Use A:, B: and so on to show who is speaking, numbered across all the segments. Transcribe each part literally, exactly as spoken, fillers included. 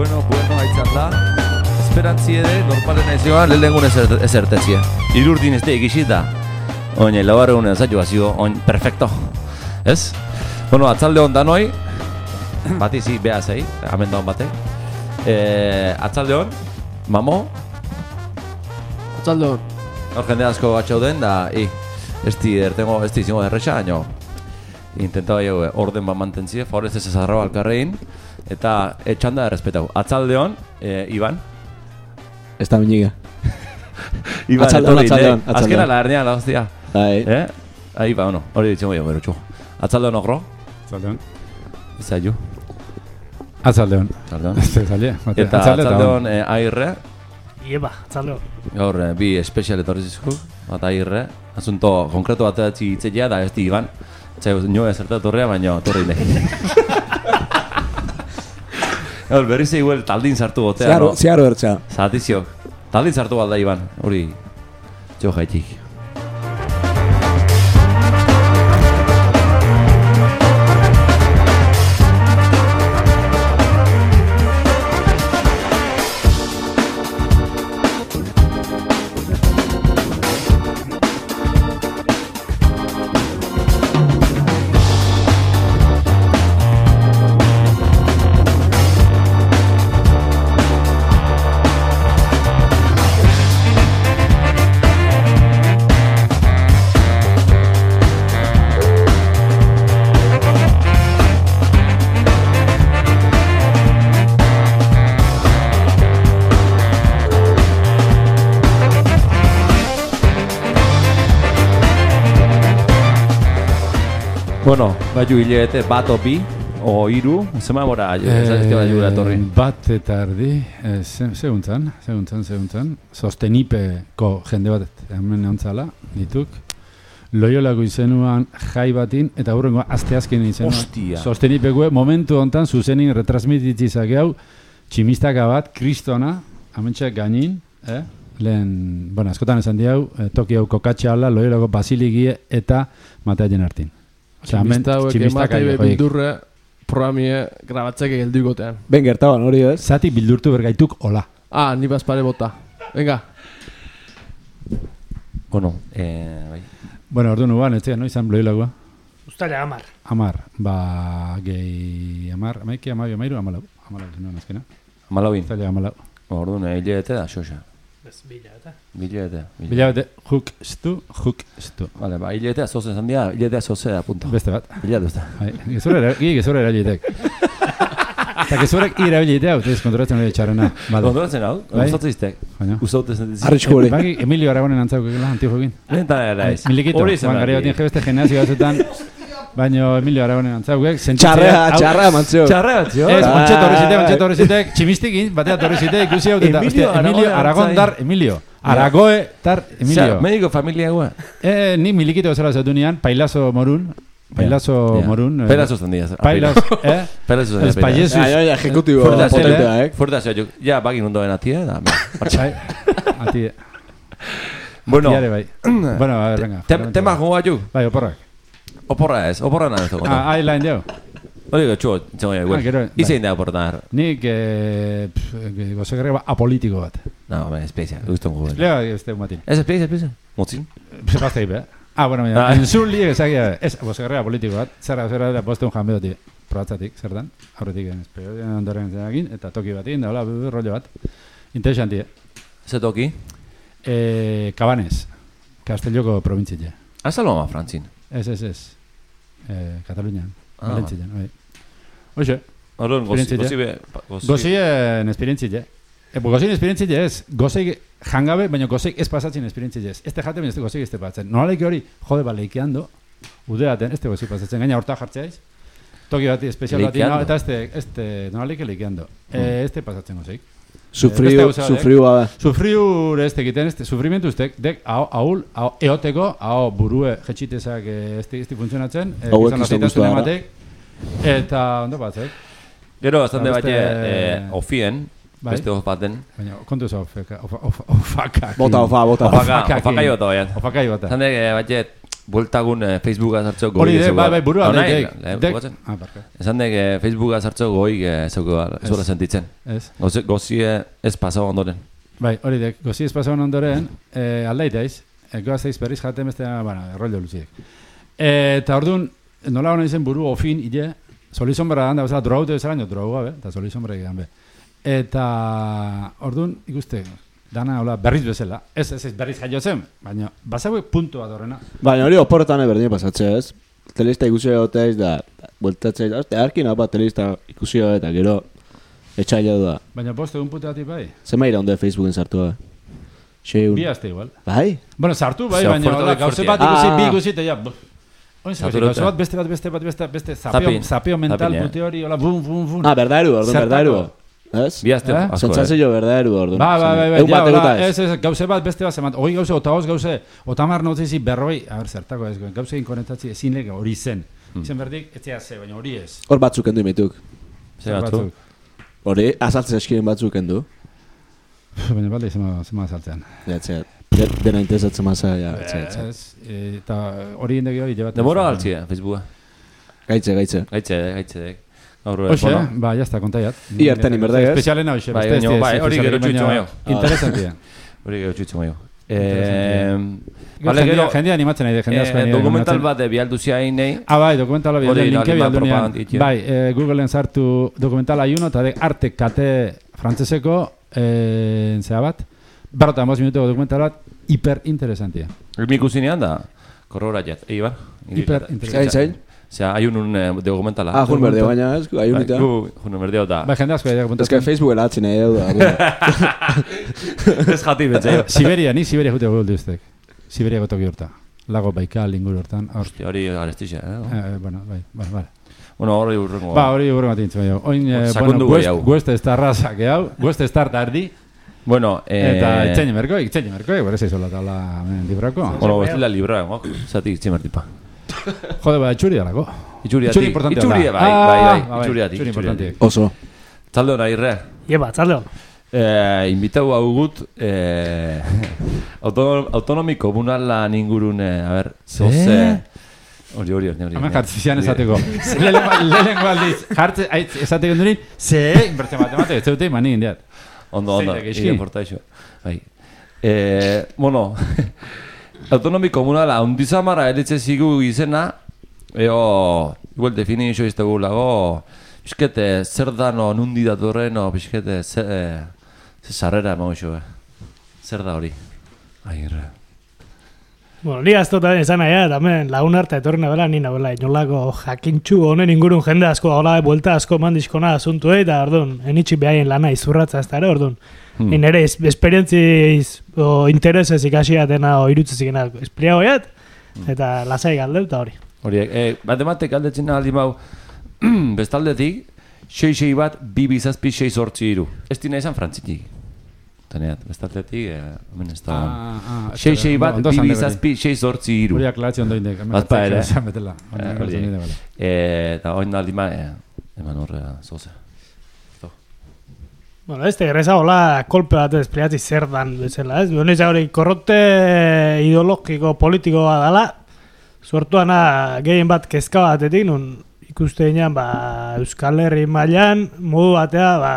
A: Bueno, bueno, haitzat da. Esperantzi ere, normalen aizioa, lehenengun ezertetzia. Irurdin ez da egizita. Oin, laugarregun enzaitu bazio, oin, perfecto. Ez? Bueno, atzalde hon danoi, bat izi, beha zei, amendu hon batek. E, atzalde hon, mamo.
B: Atzalde hon.
A: Hor jende asko batxauden, da, i, ez di ertengo, ez di izango derrexa, baino. Intentaba jo, orden bat mantentzie, favorez ez ezarrao alkarrein. Eta etxanda errespetau. Atzalde hon, e, Iban.
C: Ez da miniga.
A: Iban,
C: atzaldeon, atzaldeon.
A: Azkena la hernia la hostia.
C: Bai.
A: Eh? Ahí va, bueno, hori ditzengo jo, berotxo. Atzaldeon ogro?
D: Atzaldeon.
A: Izaiu?
D: Atzaldeon.
A: Atzaldeon.
D: Ez zalie.
A: Eta atzaldeon eh, airre?
E: Ieba, atzaldeon.
A: Gaur, eh, bi espezial etorri zizku, bat airre. Asunto konkreto bat hitzeia da ez di Iban. Txai, nio ezerta torrea, baina torri ne. Gaur, berriz eguel taldin sartu gotea,
C: Ziaro,
A: no?
C: ziaro ertza.
A: Zatizio. Taldin sartu balda Iban, hori. Jo jaitik. Bueno, baiu hilete bat o bi, o iru, zema bora, ezazizte baiu gara torri.
D: Bat eta erdi, seguntzan, seguntzan, seguntzan, sostenipeko jende bat hemen ontzala, dituk. Loiolako izenuan jai batin, eta hurrengo asteazken izenuan.
A: Ostia!
D: Sostenipekue momentu hontan zuzenin retransmititzizak hau, tximistaka bat, kristona, amentxak gainin, eh? Lehen, bueno, askotan esan diau, eh, Tokio kokatxala, Loiolako basiligie eta Mateaien hartin.
B: Tximista hauek emateibe bildurre programie grabatzek egelduikotean.
C: Ben gertaban hori ez?
D: Zati bildurtu bergaituk hola.
B: Ah, ni bazpare bota. Venga.
A: Bueno, eh, bai.
D: Bueno, ordu nuban, ez no izan Loiolakoa.
E: Ustaila amar.
D: Amar, ba, gehi amar, amaiki, amabi, amairu, amalau. Amalau, zenuen azkena.
A: Amalauin.
D: Ustaila amalau.
A: Ordu ne, hilete da, xoxa.
E: Ez, bila eta.
A: Hilete.
D: Bilabete, juk stu, juk stu.
A: Vale, ba, hiletea zozen zan dira, hiletea zozea, punto.
D: Beste bat.
A: Hilate usta.
D: Gezurera, gi gezurera erabilitek. Eta gezurek irabilitea, utez kontrolatzen hori txarrena.
A: Kontrolatzen hau, gustatzen iztek. Usautez netezik.
C: Arritxko hori.
D: Bagi, Emilio Aragonen antzaukela, antijokin.
A: Lentan era ez.
D: Milikito, ban gari batien jebeste gimnasio batzutan, baino Emilio Aragonen antzaukek.
C: Txarrea, txarrea mantzio.
A: Txarrea mantzio.
D: Ez, ontxe torri zitek, ontxe torri zitek, tximistikin, batea torri zitek, ikusi hau, Emilio Aragon dar Emilio. Aragoe tar Emilio.
A: Mediko familia gua.
D: Eh, ni milikito bezala zatu nian, Pailazo Morun. Pailazo Morun.
A: Pailazo zandia.
D: Pailazo, eh?
A: Pailazo zandia.
D: Ez paiesus.
C: Ja, ja, ejecutibo potentea, eh?
A: Fuerte zeo, jo. Ja, bagin undoen atie, da.
D: Atie.
A: Bueno.
D: Atiare bai. Bueno, a ver, venga.
A: Tema joa ju.
D: Bai, oporrak.
A: Oporra ez, oporra nahi ez dugu.
D: Ah, ahí lain deu.
A: Hori gotxo, txengo ja, igual. Izein da oporra nahi.
D: Nik, gozegarra apolitiko bat.
A: No, ben, espezia, guztun gugu.
D: Esplea, ez tegu matin.
A: Ez espezia, espezia? Motzin?
D: Sepazte ibe, eh? Ah, bueno, mira, enzun liek ezagia, ez gozegarra apolitiko bat. Zerra, zerra, da poste un janbedoti. Probatzatik, zer dan? Aurretik, espero, ondoren zenakin, eta toki batin, da, hola, rollo bat. Interesanti, eh?
A: Ze toki?
D: Eh, Cabanes, Castelloko provintzitia.
A: Azalo ama, Frantzin?
D: Ez, ez, ez. Eh, Katalunian,
A: ah,
D: Valentzian, bai. Oixe.
A: Horren, gozi be...
D: Gozien esperientzitia. E, gozien esperientzitia ez. Gozeik jangabe, baina gozeik ez pasatzen esperientzitia ez. Este jate, baina este gozeik ez te pasatzen. Nolaleik hori, jode ba, leikeando, udeaten, este gozeik pasatzen. Gaina horta jartzeaiz. Toki bati, espezial bati, no, eta este, este, nolaleik leikeando. Mm. E, este pasatzen gozeik.
C: Sufriu, sufriu bada.
D: Sufriu este egiten, este, sufrimentu ustek, dek, hau, ahul, hau, eoteko, hau, burue, jetxitezak, este, este funtzionatzen, e, gizan lasitasun ematek, eta, ondo batzek.
A: Gero, bastante bate, ofien, beste of baten.
D: Baina, kontu ofa, ofakak.
C: Bota, ofa, bota.
A: Ofaka, ofaka jota, baian.
D: Ofaka jota.
A: Zande, bate, bueltagun eh, Facebooka sartzeo goi.
D: Hori de, bai, bai, burua.
A: Hona,
D: dek,
A: eh,
D: dek.
A: bukatzen.
D: Ah, barka.
A: Esan dek eh, Facebooka sartzeo goi eh, zeuko zuela sentitzen.
D: Ez.
A: Gozi, gozi eh, ez pasau ondoren.
D: Bai, hori dek, gozi ez pasau ondoren, eh, aldaiteiz, eh, goazteiz berriz jaten beste, bueno, errollo luziek. Eh, eta orduan, nola hona izen buru ofin, ide, soli sombra handa, bezala, drogaute bezala, nio droga, be, eta soli sombra egidan, be. Eta orduan, ikuste, dana hola berriz bezala. Ez, ez, ez berriz jaio zen, baina bazauek puntu bat horrena.
C: Baina hori oporretan berdin pasatzea, ez? Telista ikusi egoteiz da, bueltatzea, azte, arkin apa telista ikusi eta gero etxaila da.
D: Baina bost egun putu batik bai.
C: Zema iraunde Facebooken sartu da? Xeun.
D: Bi azte igual.
C: Bai?
D: Bueno, sartu bai,
A: Ze
D: baina
A: oferta
D: hola,
A: de
D: gauze
A: fuertea.
D: bat ikusi,
C: Ah.
D: bi ikusi, eta ja, buf. Oin zer,
A: Saturota.
D: gauze bat, beste bat, beste bat, beste, beste, beste, zapeo,
A: Zapin.
D: zapeo mental
A: Zapin, ja.
D: pute hori, hola, bum, bum, bum.
C: Ah, berdaeru, orduan,
D: Zertako?
C: berdaeru. Ez?
A: Bi azte
D: Eh?
A: asko.
C: Sentzazio berdaeru, orduan.
D: Ba, ba, ba, ba,
C: Egun
D: ja,
C: bat
D: hola,
C: eguta ez.
D: ez, ez, gauze bat, beste bat, zemat, hoi gauze, otagoz gauze, otamar notzizi berroi, a ber, zertako ez, gauze inkonektatzi ezin lege hori zen. Izen berdik, ez ze, baina hori ez.
C: Hor batzuk endu imituk.
A: Ze batzu.
C: Hori, azaltzen eskiren batzuk endu.
D: Baina balde, zema, zema saltzean.
C: Ja, etxeat. De, dena interesatzen maza, ja, etxeat, etxeat.
D: Ez, eh, eta hori indegi hori jebat.
A: Demora galtzia, Facebooka.
C: Gaitze, gaitze.
A: Gaitze, gaitze. Gaur,
D: Hoxe,
A: bueno,
D: ba, jazta, kontaiat.
C: I hartan inberdai, ez?
D: Espezialena hoxe,
A: Bai,
D: beste ez
A: baina,
D: ez,
A: bai, hori
D: espezialik,
A: gero txutxo
D: baina
A: maio.
D: Interesantia.
A: hori gero txutxo maio.
D: Gero
A: Bale,
D: jendea,
A: gero,
D: jendea animatzen nahi, de, jendea asko
A: eh,
D: animatzen.
A: dokumental bat de bialduzia inei.
D: Ah, bai, dokumentala
A: Hori,
D: bialduan, linke
A: alima
D: bialdunean.
A: propaganditia.
D: Bai, eh, Googleen sartu dokumentala iuno, eta de arte kate frantzeseko, eh, zera bat, berrota amos minuteko dokumental bat, hiper interesantia.
A: Mi ikusinean da, korrora jet, eibar.
D: Hiper
C: Zain,
D: interesantia.
C: zain?
A: Osea, hay un eh, dokumentala.
C: Ah, jun berdeo, baina ez, aiunita.
A: Gu, jun berdeo da.
D: Bai, jende asko
C: Ez
D: dira
C: que
D: kontatzen.
C: Facebooken atzen nahi edo da.
A: Ez jati betze.
D: Siberia, ni Siberia jute guldu ustek. Siberiako toki horta. Lago Baikal inguru hortan. Hor,
A: Hostia, hori garestixa, eh?
D: eh, bueno, bai, bai, bai.
A: Bueno, hori urrengo.
D: Ba, hori urrengo atintzen bai. Oin, eh,
A: Sakondu
D: bueno,
A: gai hau.
D: gueste ez tarraza, que hau, gueste ez tartardi,
A: Bueno, eh...
D: eta itxein merko, itxein merko, bere zeizola tabla librako.
A: Bueno, ez dela libra, eh? Zati itximertipa.
D: Jode, ba, itxuri dalako.
A: Itxuri
D: Itxuri
A: ati.
D: importantea
A: Itxuri,
D: da.
A: bai,
D: Ah,
A: bai, bai.
D: bai,
A: Itxuri ati.
D: itxuri importantea.
C: Oso.
A: Talde hona irre.
E: Ieba, tzalde hon.
A: Eh, invitau hau gut, eh, autonom, autonomi komunalan ingurun, eh, a ber, zoze... Hori, hori, hori, hori.
D: Hemen jartzen zian esateko. Lehenengo aldiz, jartzen, aitz, esateko durin, ze, inbertzen matematiko, ez zeute iman egin diat.
A: Ondo, ondo,
D: Zein da, gaizki?
A: ire porta iso. Bai. Eh, bueno, autonomi komunala ondizamara eritze zigu izena, eo, igual definizio iztegu lago, pixkete, zer dano, nundi datorren, o pixkete, ze, eh, ze sarrera emago iso, eh. Zer da hori? Agirre.
E: Bueno, ni aztotan esan nahi, eta hemen lagun arte etorri nabela, ni nabela, inolako jakintxu honen ingurun jende asko, hola, buelta asko mandizkona asuntu, eta orduan, enitxi behaien lana izurratza ez da ere, orduan.
A: Hmm.
E: Hmm. Nire esperientziz o interesez ikasiatena o irutzezikena espliagoiat, eta lasai galde eta hori.
A: Hori, eh, matematik aldetzen aldi mau, bestaldetik, sei sei bat, bi bizazpi sei sortzi iru. Ez dina izan frantzitik. Teneat, bestaldetik, eh, hemen ez da... sei sei bat, bi bizazpi sei sortzi iru.
D: Hori aklatzen ondo indek.
A: Bat pa ere.
D: Betela.
A: Eh, hori. Eh, eta oin aldi ma, eh, eman horrea, zoze.
E: Bueno, este erreza hola kolpe bat espliatzi zer dan bezala, ez? Beno izan hori korrote ideologiko politikoa dala, sortuana gehien bat kezka batetik, nun ikuste dinan, ba, Euskal Herri mailan modu batea, ba,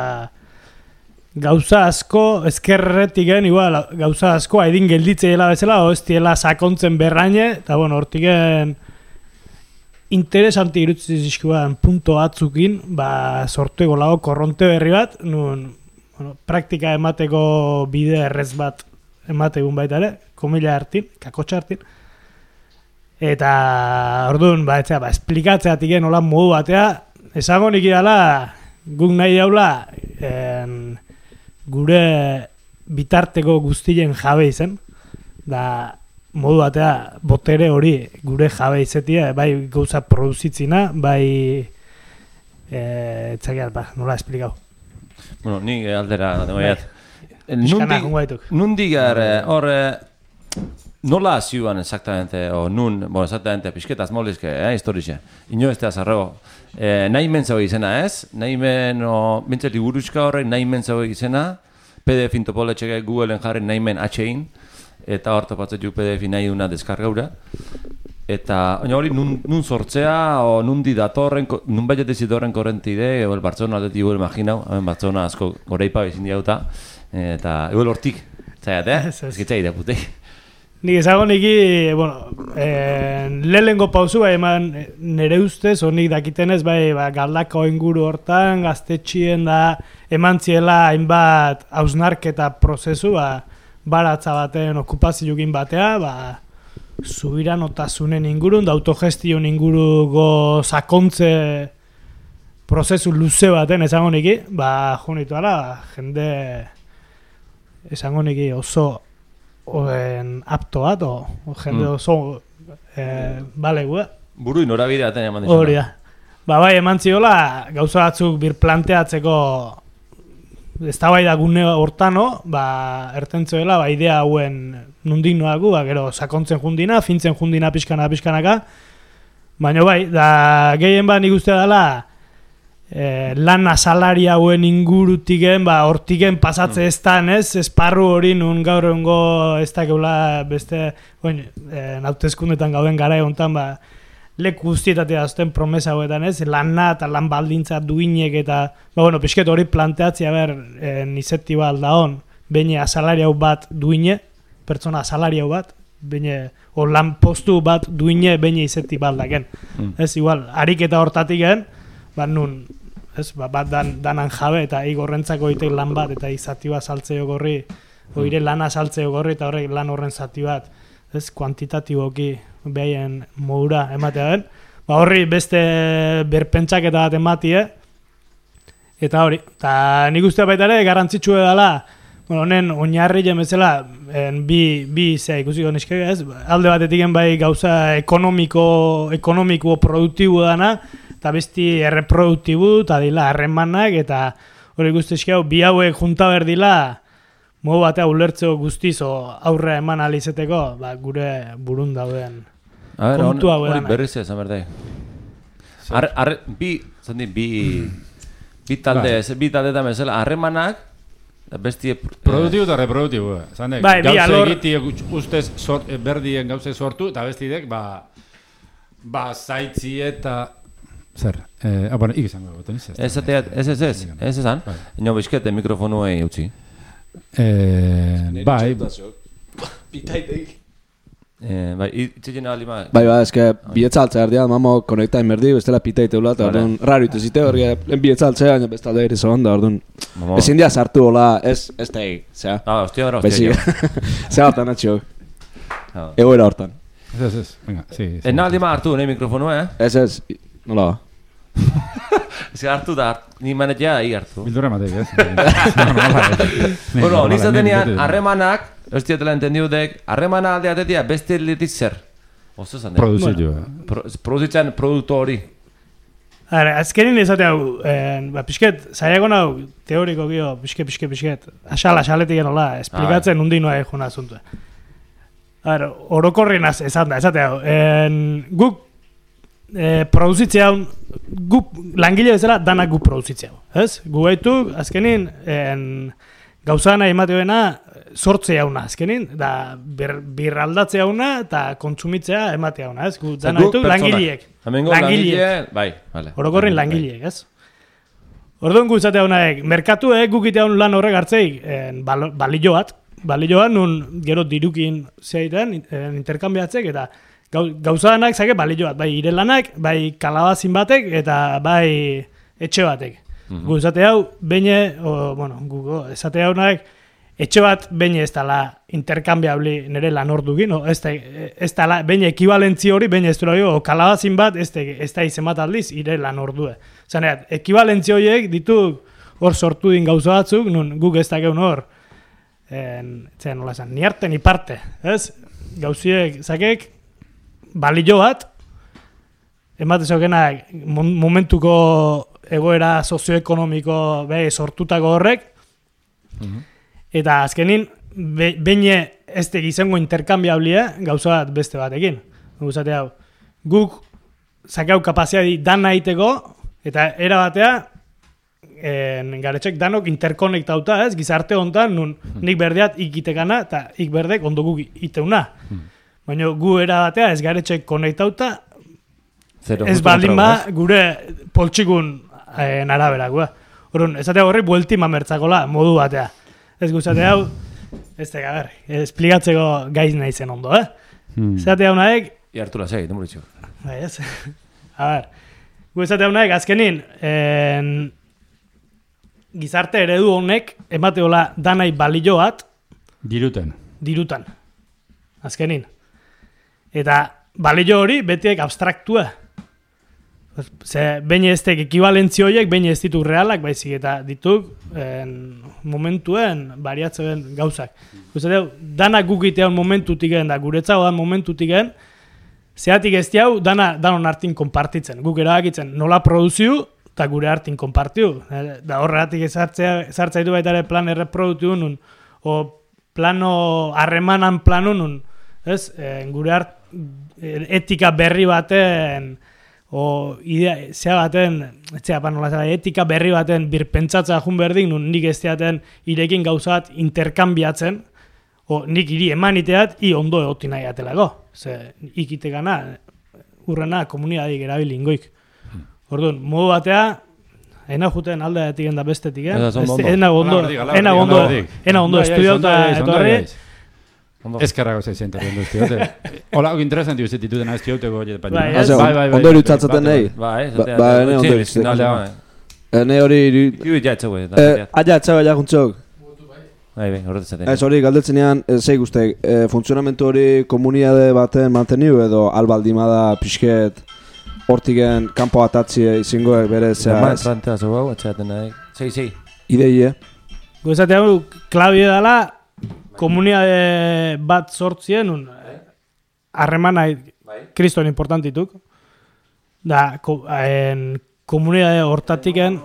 E: gauza asko, ezkerretik gen, igual, gauza asko haidin gelditzeela bezala, o ez diela sakontzen berraine, eta bueno, hortiken interesanti irutzen zizkuan punto batzukin, ba, sortueko lago korronte berri bat, nun, bueno, praktika emateko bide errez bat emategun baita ere, komila hartin, kakotxa hartin, eta orduan, ba, etzea, ba, esplikatzeatik nola modu batea, esango nik idala, guk nahi daula, en, gure bitarteko guztien jabe izen, da, modu batea, botere hori gure jabe izetia, bai gauza produzitzina, bai e, etzakiat, ba, nola esplikau.
A: Bueno, ni aldera, nagoiat.
E: Iskana jongo baituk.
A: Nundik gar, hor, nola zioan exactamente, o nun, bueno, exactamente, pixketaz molizke, eh, historixe. Ino ez da zarrago. Eh, nahi mentzau izena ez, nahi men, o, bintze liburuzka horrek nahi mentzau izena, P D F intopoletxeke Googleen jarri nahi men atxein, eta hor topatzen juk P D F nahi duna deskargaura. Eta hori nun, nun sortzea, o nundi datorren, nun baiet ez datorren korrentide, edo el Bartzona aldetik igual imaginau, hemen Bartzona asko goreipa bezin diauta, eta igual hortik, zaiat, eh? Ez gitzai deputei.
E: Nik ezago niki, bueno, eh, lehengo pauzu bai eman nere ustez, honik dakitenez bai ba, galdako inguru hortan, gaztetxien da eman ziela hainbat hausnarketa prozesu, ba, baratza baten okupazioekin batea, ba, subiranotazunen ingurun, da autogestion inguruko sakontze prozesu luze baten esango niki, ba, jonitu ara, jende esango niki oso oen apto bat, o, o jende mm. oso eh, balegu, eh?
A: Buru inorabide aten eman dizuna.
E: Hori da. Ba, bai, eman ziola, gauza batzuk birplanteatzeko eztabaida gune hortano, ba, ertentzoela, ba, idea hauen nundik noaku, ba, gero, sakontzen jundina, fintzen jundina pixkana pixkanaka, baina bai, da, gehien ba, nik uste dela, eh, lan asalari hauen ingurutiken, ba, hortiken pasatze mm. ez dan, ez, esparru hori nun gaur egongo ez dakeula beste, oin, eh, hauteskundetan gauden gara egontan, ba, leku guztietatea azten promesa hauetan, ez, lana eta lan baldintza duinek eta, ba, bueno, pixket hori planteatzea ber, eh, nizettiba alda hon, baina asalari hau bat duine, pertsona asalari hau bat, baina, o lan postu bat duine baina izetti baldaken. Mm. Ez, igual, ariketa hortatik gen, ba, nun, ez, ba, bat dan, danan jabe eta igorrentzako itek lan bat eta izati bat saltzeo gorri, mm. oire lana saltzeo gorri eta horrek lan horren zati bat, ez, kuantitatiboki behaien modura ematea den, ba, horri beste berpentsaketa bat ematie, eta hori, eta nik uste baita ere garrantzitsua dela, bueno, honen oinarri jemezela, bi, bi zea ikusiko niskek, ez, alde batetik bai gauza ekonomiko, ekonomiko produktibo dana, eta besti erreproduktibu, eta dila harremanak, eta hori guztizkau, bi hauek junta berdila, modu batea ulertzeo guztiz, o aurrea eman alizeteko, ba, gure burun dauden kontu hau edan.
A: Hori berriz ez, amerdei. Arre, arre, bi, zandi, bi, bi talde, bi talde eta mesela, harremanak, bestie...
D: Produktibo eta reproduktibo, zandek,
E: bai,
D: gauze egitiek ustez sort, berdien gauze sortu, eta bestidek, ba, ba, zaitzi eta... Zer, eh, ah, bueno, ikizango goten izaz.
A: Ez, ez, ez, ez, ez ezan, ino bizkete mikrofonuei utzi.
D: Eh, bai...
C: Pitaitek.
A: Eh, bai, itxegin alima...
C: Bai, bai, eske, bietzaltzea erdia, mamo konekta inmerdi, bestela pitaiteula, eta orduan, raro ituzite hori, lehen bietzaltzea, baina bestalde ere zoanda, orduan, ezin dia sartu hola, ez, ez da egin, zera.
A: Ah, ostia, bera, ostia.
C: Zera hortan, atxio. Egoera hortan.
D: Ez, ez, ez, venga, sí.
A: Ez nahi alima hartu, nahi mikrofonu, eh?
C: Ez, ez, nola ba.
A: Ez hartu da, ni manetea ahi hartu.
D: Bildurra matek, ez?
A: Bueno, nizatenean, harremanak, ez diatela entendiudek, harremana aldeatetia beste letik zer? Oso zan,
D: Produzio.
A: Produzitzen produktu hori.
E: Ara, azkenin ezatea hau, ba, pixket, zaiago hau, teoriko gio, pixket, pixket, pixket, asal, asaletik enola, esplikatzen undi noa egin asuntua. Ara, orokorrin ezan da, ezatea hau, guk E, produzitzea hau, gu langile bezala danak gu produzitzea hau, ez? Gu gaitu, azkenin, en, gauzana emateoena sortzea hauna, azkenin, da bir, birraldatzea hauna eta kontsumitzea ematea hauna, ez? Gu danak gaitu langileek.
A: Langileek, bai, vale.
E: Orokorrin langileek, ez? Orduan gu izatea haunaek, merkatuek gukite haun lan horrek hartzeik, balio bat, balio bat, nun gero dirukin zeaiten, interkambiatzek, eta gauzanak zake balio bat, bai irelanak, bai kalabazin batek, eta bai etxe batek. Mm-hmm. Gu esate hau, beine, o, bueno, gu esate hau naek, etxe bat beine ez dala interkambiabli nire lan ordukin, o, ez, ez dala, beine ekibalentzi hori, beine ez dula, o kalabazin bat, ez, ez da izemat aldiz, ire lan ordue. Zaneat, ekibalentzi horiek ditu hor sortu din gauza batzuk, nun guk ez dakeun hor, en, zen, nola esan, ni arte ni parte, ez? Gauziek, zakek, balio bat, ematezokenak momentuko egoera sozioekonomiko be, sortutako horrek, mm-hmm. eta azkenin, be, beine ez tegizango interkambiablia gauza bat beste batekin. Guzate hau, guk zakau kapazia di dan nahiteko, eta era batea, en, garetxek danok interkonektauta, ez, gizarte hontan, nun nik berdeat ikitekana, eta ik berdek ondo guk iteuna. Mm. Baina gu era batea ez garetxek konektauta,
A: Zero,
E: ez baldin ba gure poltsikun eh, araberakoa. Orduan, esatea horri buelti mamertzakola modu batea. Ez guzatea hau, ez teka, ber, esplikatzeko gaiz nahi zen ondo, eh? Hmm. Esatea honaek...
A: Iartu la zei, demuritxo.
E: Bai, ez. A ber, gu esatea honaek azkenin, en, gizarte eredu honek emateola danai balio bat...
D: Diruten.
E: Dirutan. Azkenin. Eta balio hori betiek abstraktua. Ze, behin ez tek ekibalentzio horiek, behin ez ditu realak, baizik eta dituk en, momentuen bariatzen gauzak. Guztateu, danak gukitean momentutik gen, da guretzago da momentutik gen, zeatik ez diau, dana danon hartin konpartitzen. Guk erabakitzen nola produziu, eta gure hartin konpartiu. Da horregatik ezartzea ditu baita ere plan erreproduktiu nun, o plano, harremanan planu nun, ez, en, gure hart, etika berri baten, o idea, zea baten, etzea panola zela, etika berri baten birpentsatza jun berdin, nun nik ez teaten irekin gauzat interkambiatzen, o nik iri emaniteat, i ondo egotin nahi atelako. Ze, ikitekana, urrena komunidadik erabili ingoik. Orduan, modu batea, ena juten alde etiken da bestetik, eh? Ena ondo, ena ondo, ena ondo estudiauta etorri.
D: Eskerrago zeitzen torrendu estiote. Hola, hau interesanti uzet dituten ez dioteko.
E: Bai,
C: bai, ondo irutzatzen nahi.
A: Bai,
C: Ba, ene ondo irutzatzen. Ene hori...
A: Iu jatze guai.
C: Aia, txau, aia juntzok.
A: Bai, bai, horretzaten.
C: Ez hori, galdetzen ean, zei guztek, funtzionamentu hori komunidade baten manteniu edo albaldimada pixket hortigen kanpo atatzie izingoek bere zea
A: ez? Normal, plantea zo hau, atxeaten nahi. Zei, zei.
C: Ideie.
E: Guztate hau, klabie dela, komunidade bat sortzien, un, harremana kriston importantituk. Da, ko, en, komunidade hortatiken,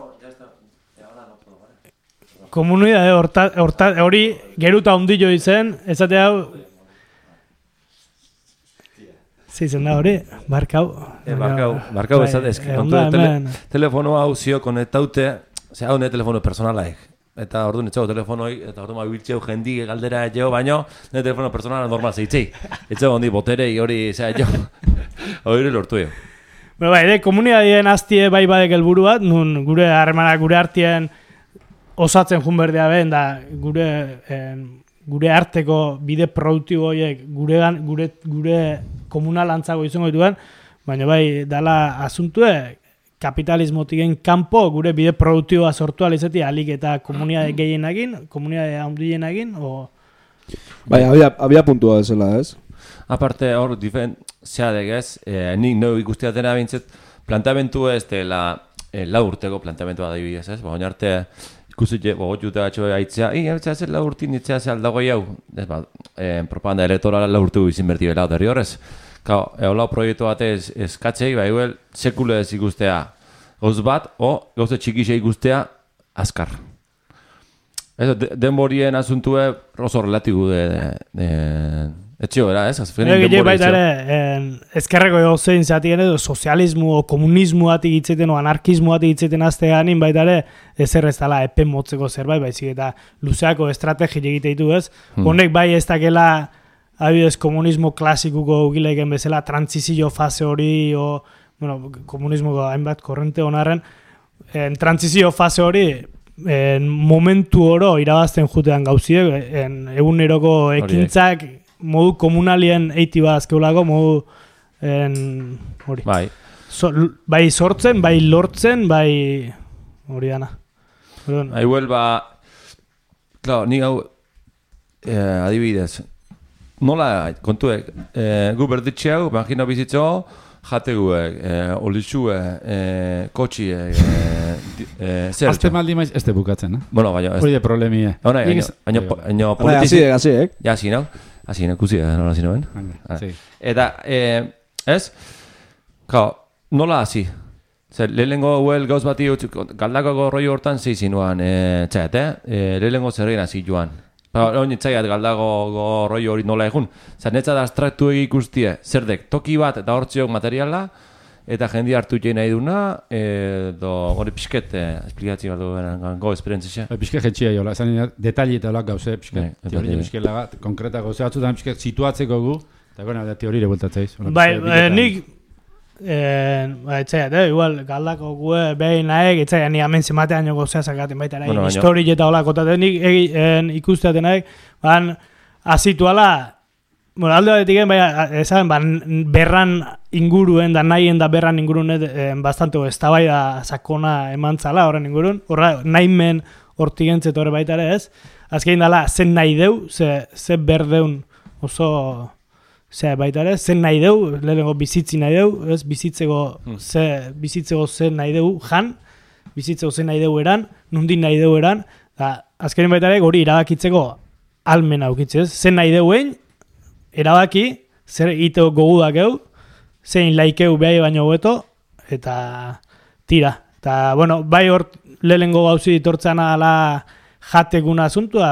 E: komunidade horta, horta, hori geruta ondillo izen, ezate hau, zizen da hori, barkau.
A: E, barkau, barkau ezate, eski, kontu tele, telefono hau zio konektaute, ze hau ne telefono personalaik. Eta orduan etxego telefonoi, eta orduan mabiltzeu jendi galdera etxego, baino, ne telefono personala normal zeitzei. Etxego hondi boterei hori, zera etxego, hori lortu jo.
E: Bueno, bai, de, komunidadien aztie bai badek helburu bat, nun gure harremanak gure artien osatzen jun berdea ben, da gure, en, gure arteko bide produktibo horiek gure, gure, gure komunalantzago izango dituen, baina bai, dala asuntue, kapitalismotiken kanpo gure bide produktiboa sortu alizeti alik eta komunidade gehienagin, komunidade handienagin, o...
C: Bai, abia, abia puntua ezela, ez?
A: Aparte, hor, difen, zeadek ez, eh, nik no ikustiatena bintzet, plantamentu ez dela eh, lau urteko plantamentua da ibidez, ez? Baina arte, ikusit, bogot jute batxo haitzea, i, haitzea zer lau urtin, itzea zer aldagoi hau, ez ba, eh, propaganda elektorala lau urtu izin berti bela, derri horrez. Kao, eolau proiektu batez eskatzei, bai, huel, sekule ez ikustea gauz bat, o gauze txikise ikustea azkar. Ez, de, denborien asuntue oso relatibu de... de, de etxio, era, ez?
E: Azfenen denbori etxio. Ezkerreko gauzein zeatien edo sozialismo o komunismo batik itzeten o anarkismo batik itzeten azteganin baita ere ezer ez dela epen motzeko zerbait, baizik eta luzeako estrategi egite ditu, ez? Hmm. Honek bai ez dakela adibidez komunismo klasikuko ugileken bezala transizio fase hori o, bueno, komunismoko hainbat korrente honarren, en transizio fase hori en momentu oro irabazten jutean gauziek, en eguneroko ekintzak modu komunalien eiti bat azkeulako, modu en, hori.
A: Bai.
E: So, bai sortzen, bai lortzen, bai hori dana.
A: Hai huelba, claro, ni hau eh, adibidez, nola, kontuek, eh, gu berditxe hau, imagino bizitzo, jate guek, eh, olizue, eh, kotxie, eh, eh, zer.
D: Azte maldi maiz, ez te bukatzen, eh?
A: Bueno, baina...
D: Hori de problemie.
A: Hora, haino politizi...
C: Asi, asi, ek?
A: Ja, asi, nau. Asi, nau, kuzi, nola asi noen. Eta, eh, ez? Kao, nola asi? Zer, lehenengo huel gauz bati, galdakako roi hortan zeizi nuan, eh, txet, eh? Lehenengo zerrein hasi joan. Hori nitzaiat galdago roi hori nola egun. Zer, netzat abstraktu ikustie, zerdek, toki bat eta hortziok materiala, eta jendi hartu jena nahi duna, edo hori pixket, esplikatzi bat duen go esperientzia.
D: Pixket jetxia jola, esan detalli eta olak gauze, pixket, teoria pixket lagat, konkreta gauze batzutan pixket situatzeko gu, Eta gona, da teorire bultatzeiz.
E: Bai, nik... Eh, etxea, eh, igual, galdako gue behin naek, etxea, ni hemen zematean joko zehazakaten baita, nahi, bueno, histori eta holako, eta nik ikusteaten naik, ban, azituala, bueno, alde batetik egin, bai, esan, ban, berran inguruen, da nahien da berran inguruen, eh, bastante, ez da bai da sakona eman zala, horren inguruen, horra, nahimen hortik entzet horre baita ere, ez? Azkein dala, zen nahi deu, ze, ze berdeun oso... Zer, baita ere, zen nahi deu, lehenengo bizitzi nahi deu, ez, bizitzeko, mm. ze, bizitzeko zen nahi deu, jan, bizitzeko zen nahi deu eran, nundin nahi deu eran, da, azkenin baita ere, hori erabakitzeko almen aukitzez, zen nahi deuen, erabaki, zer iteo gogudak eu, zein laikeu behai baino hobeto, eta tira. Eta, bueno, bai hor lehenengo gauzi ditortzen ala jatekuna asuntua,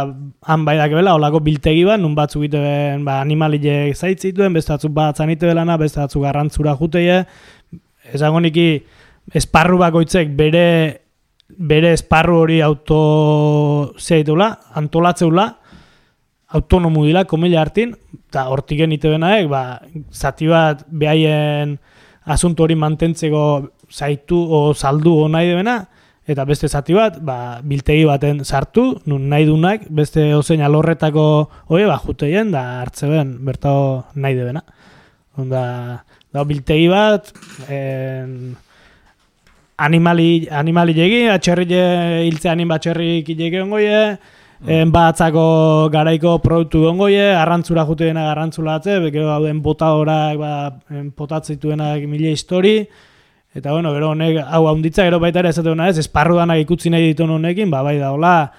E: han bai dakebela, olako biltegi bat, nun batzuk iteben ba, animalile zaitzituen, beste batzuk batzan itebelana, beste batzuk garrantzura juteie, esango niki esparru bakoitzek bere, bere esparru hori auto zeitula, antolatzeula, autonomu dila, komila hartin, eta hortiken itebenaek, ba, zati bat behaien asunto hori mantentzeko zaitu o saldu o nahi debena, eta beste zati bat, ba, biltegi baten sartu, nun nahi dunak, beste ozein alorretako hori, ba, juteien, da hartzeben, bertao nahi debena. Onda, da, biltegi bat, en, animali, animali legi, atxerri hiltze anin batxerrik ilegi ongoie, mm. batzako garaiko produktu ongoie, arrantzura juteena garrantzula atze, gero hauden botadorak, ba, potatzituenak mila histori, eta bueno, gero honek hau haunditza, gero baita ere esate hona ez, esparru danak ikutzi nahi ditu honekin, ba bai da hola,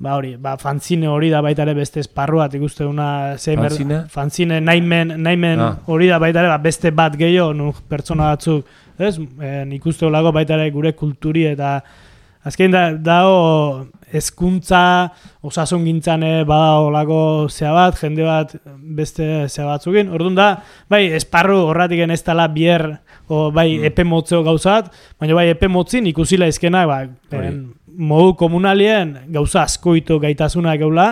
E: ba hori, ba fanzine hori da baita ere beste esparru bat ikuste una
A: fanzine?
E: Fanzine naimen, naimen ah. hori da baita ere ba, beste bat gehiago, nu pertsona batzuk, ez, e, ikuste holako baita ere gure kulturi eta azken da, dao hezkuntza osasun gintzane bada holako zea bat, jende bat beste zea batzukin, orduan da, bai, esparru horratiken ez dela bier, o bai mm. epe motzeo gauzat, baina bai epe motzin ikusila izkenak, ba, en, modu komunalien gauza askoito gaitasunak geula,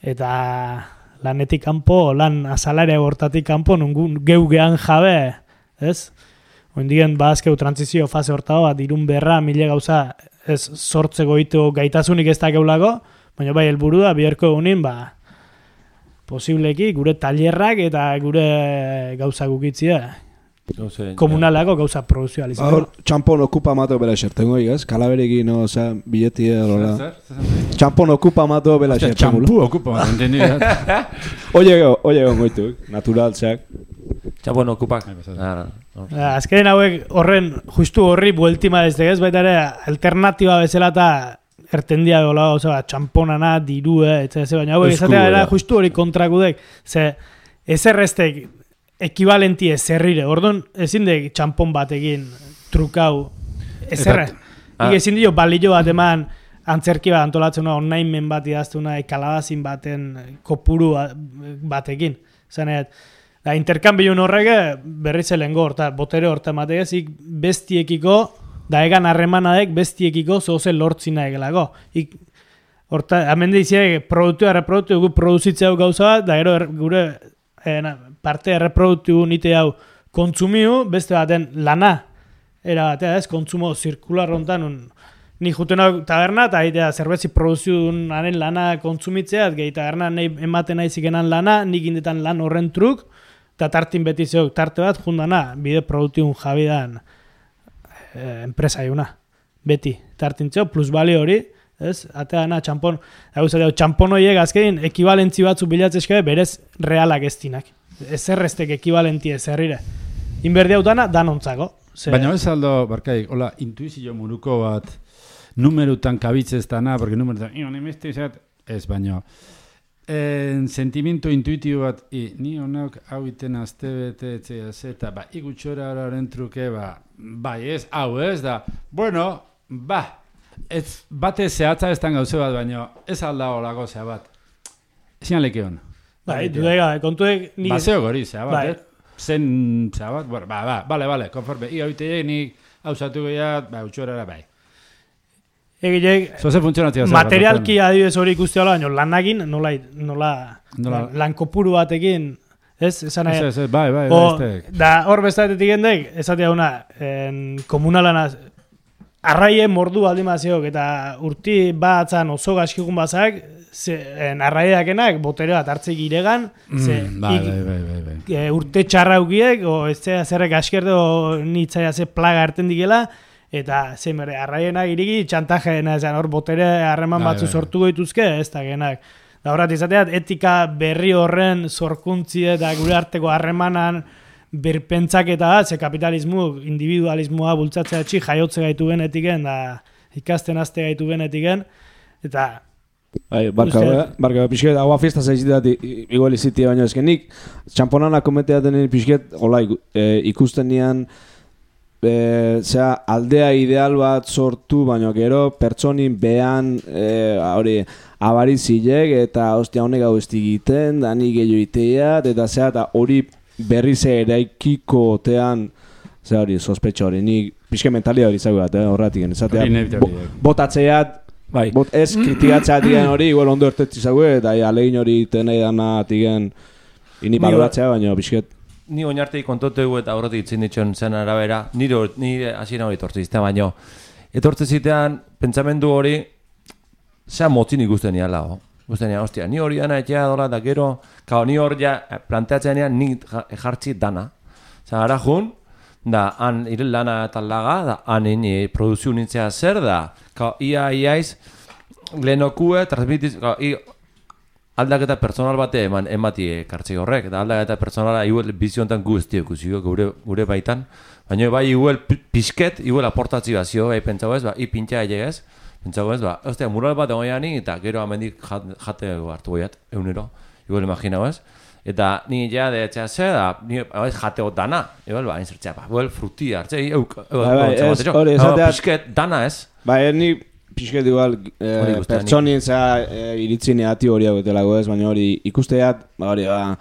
E: eta lanetik kanpo, lan azalaria hortatik kanpo, nungun geu gehan jabe, ez? Oindien bazkeu transizio fase hortago bat, irun berra, mile gauza, ez sortzeko itu gaitasunik ez da geulako, baina bai helburu da, biherko egunin, ba, posibleki gure tailerrak eta gure gauza gukitzia. Komunalako gauza produzioalizatu.
C: Hor, txampon okupa mato bela xertengo, ez? Kalaberekin, no, oza, billetia, lola. Txampon okupa mato bela xertengo.
D: Txampu okupa mato, entendi.
C: Oie, oie, ongoitu, naturaltzak.
A: Txampon okupa.
E: Azkaren hauek horren, justu horri bueltima ez degez, baita ere, alternatiba bezala eta ertendia gola, oza, txamponana, dirue, etxe, baina hauek esatea era justu hori kontrakudek, ze, ez errestek, ekivalenti ezerrire, orduan ezin de txampon batekin trukau ezerre. Ah. Ik ezin dio balillo bat eman antzerki bat antolatzen online bat idaztuna kalabazin baten kopuru batekin. Zanet, da interkambiun horrege berriz elengo horta, botere horta emategezik bestiekiko, da egan harremanadek bestiekiko zoze lortzina egelako. Ik, horta, hemen diziek produktu erreproduktu gu produzitzea gauza bat, da gero er, gure eh, parte erreproduktu nite hau kontsumiu, beste baten lana. Era batea ez, kontsumo zirkular hontan, ni jutenak taberna, eta aitea zerbetzi produziu haren lana kontsumitzea, gehi taberna nahi ematen nahi zikenan lana, nik indetan lan horren truk, eta tartin beti zeok tarte bat, jundana, bide produktiun jabidan eh, enpresa iuna. Beti, tartin zeok, plusbali hori, ez? Ateana txampon, txampon horiek azkein, ekibalentzi batzu bilatzezke berez realak ez dinak. Ezerreztek ekivalenti ezerrire. Inberdi hautana, danontzako. Ze...
D: Baina ez aldo, barkaik, hola, intuizio muruko bat, numerutan kabitzez dana, porque numerutan, io, nemeste izat, ez, baina, en sentimiento intuitibo bat, i, ni honak hau iten azte bete, etxea, zeta, ba, igutxora horaren truke, ba, bai, ez, hau ez, da, bueno, ba, ez, bate zehatza ez tan gauze bat, baina, ez alda holako zea bat. Ezin aleke hon.
E: Bai, dudega, kontuek...
D: Baseo gori, zea bat, eh? Zen, zea bat, bueno, ba, ba, bale, bale, konforme. Iga bitei, nik hausatu gehiat, ba, utxuera bai.
E: Egilek,
D: Zoze funtzionatzea.
E: materialki adibidez hori ikuste hola, baina lanagin, nola, nola, lan kopuru batekin, Ez, esan nahi.
D: Ez, ez, bai, bai,
E: bai. Da, hor bestatetik gendek, esatea una, komunalana, arraien mordu aldimaziok, eta urti batzan oso gaskikun bazak, arraiedakenak botere bat hartzik iregan, ze,
D: mm, bai, ik, bai, bai, bai, bai.
E: E, urte txarra ukiek, o ez zera zerrek askerde, o nitzaia ze plaga harten dikela, eta ze mere, arraienak iriki txantajeena, esan hor botere harreman
D: bai,
E: batzu
D: bai.
E: sortu goituzke, ez da genak. Da horret izateat, etika berri horren zorkuntzi eta gure arteko harremanan birpentsaketa da, ze kapitalismu, individualismoa bultzatzea txik jaiotze gaitu genetiken, da ikasten azte gaitu genetiken, eta...
C: Bai, barka, barka, pixket, agua fiesta zaizitat igual izitia baino ezkenik, txamponana kometeaten pixket, hola, ikusten nian, E, zera, aldea ideal bat sortu, baina gero pertsonin behan e, hori abarizilek eta ostia honek hau ez digiten, da nik gehiago iteat, eta zera, eta hori berriz eraikiko otean, zera hori, sospetxa hori, nik pixke mentalia hori zagu bat, eh, horretik, ezatea, bo, botatzeat, bai. Bot, ez kritikatzeat igen hori, igual ondo ertetzi zagu, eta alegin hori tenei dana atigen, ini baloratzea, baina pixket.
A: Ni oinartei kontotegu eta horretik itzin ditxon zen arabera, nire, nire hasiera hori etortze zitean, baino. Etortze zitean, pentsamendu hori, zea motzin ikusten niala, ho. Ikusten niala, ostia, ni hori dana etxea dola, da gero, kao, ni hori ja planteatzen nian, ni jartzi dana. Zea, gara jun, da, han irel lana eta laga, da, han ini produzio nintzea zer da, kao, ia, iaiz, lehenokue, transmitiz, kao, i, aldaketa personal bate eman emati kartzi horrek, eta aldaketa personala igual biziontan guzti ekusiko gure, gure baitan, baina bai igual pixket, igual aportatzi bazio, bai pentsago ez, ba, i pintxa egez, pentsago ez, ba, ostia, mural bat egoiani, eta gero amendik jate hartu goiat, egunero, igual imaginau ez, eta ni ja de etxea ze, da, ni jateo dana, igual, ba, inzertzea, ba, igual fruti hartze, euk, pixket dana ez.
C: Ba, ni... Pixket igual, eh, pertsonien za eh, iritzi negati hori hau etelago ez, baina hori ikusteat, ba hori, ba,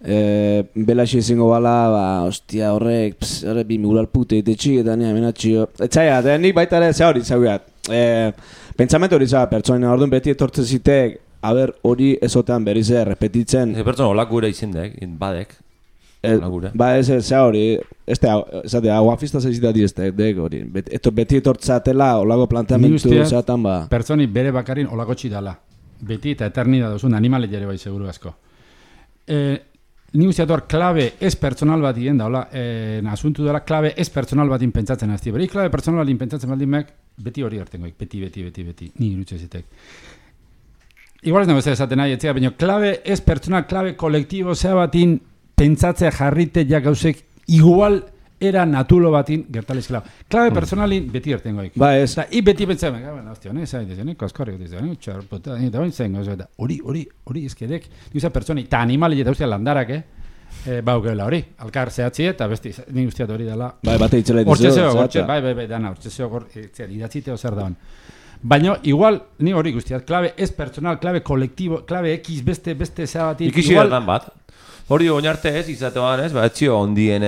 C: eh, belaxi ezingo bala, ba, ostia horrek, pss, horrek bi mural pute ite txik, eta nire menatxio. Etxaiat, eh, nik baita ere ze hori zaugat. Eh, pentsamentu hori za, pertsonien orduan beti etortzen zitek, haber hori ezotean berriz ere repetitzen.
A: Ze pertsona olak gure izindek, badek.
C: Eh, ba, ez ez hori, ez da, aguafista zaizitati ez da, hori, beti etortzatela, olago planteamentu zatan, ba.
D: Pertsoni bere bakarin olako txidala, beti eta eternida dozun animale jere bai seguru asko. Eh, ni usteator klabe ez personal bat igen da, hola, eh, asuntu dela, klabe ez personal batin pentsatzen azti, beri klabe personal batin pentsatzen baldin mek, beti hori hartengoik, beti, beti, beti, beti, ni irutxe zitek. Igual ez nago ez esaten nahi, etzea, baina klabe ez personal, klabe kolektibo zea batin pentsatzea jarrite ja gauzek igual era natulo batin gertalizkela. Klabe personalin beti ertengoik.
C: Ba ez.
D: Eta i beti pentsa, baina, hostia, ne, zai, dizene, koskorrik dizene, txarpota, eta bain zengo, eta hori, hori, hori ezkedek, duza pertsoni, eta animali eta ustea landarak, eh? E, baukela hori, alkar zehatzi eta besti, ni usteat hori dela.
C: Bai, bate itzela dizu.
D: Hortzezeo, hortze, bai, bai, bai, dana, hortzezeo, idatziteo zer daban. Baina, igual, ni hori guztiat, klabe ez personal, klabe kolektibo, klabe X, beste, beste zeabatin.
A: Ikisi igual, bat. Hori oinarte ez, izatean ez, ba, etxio ondien,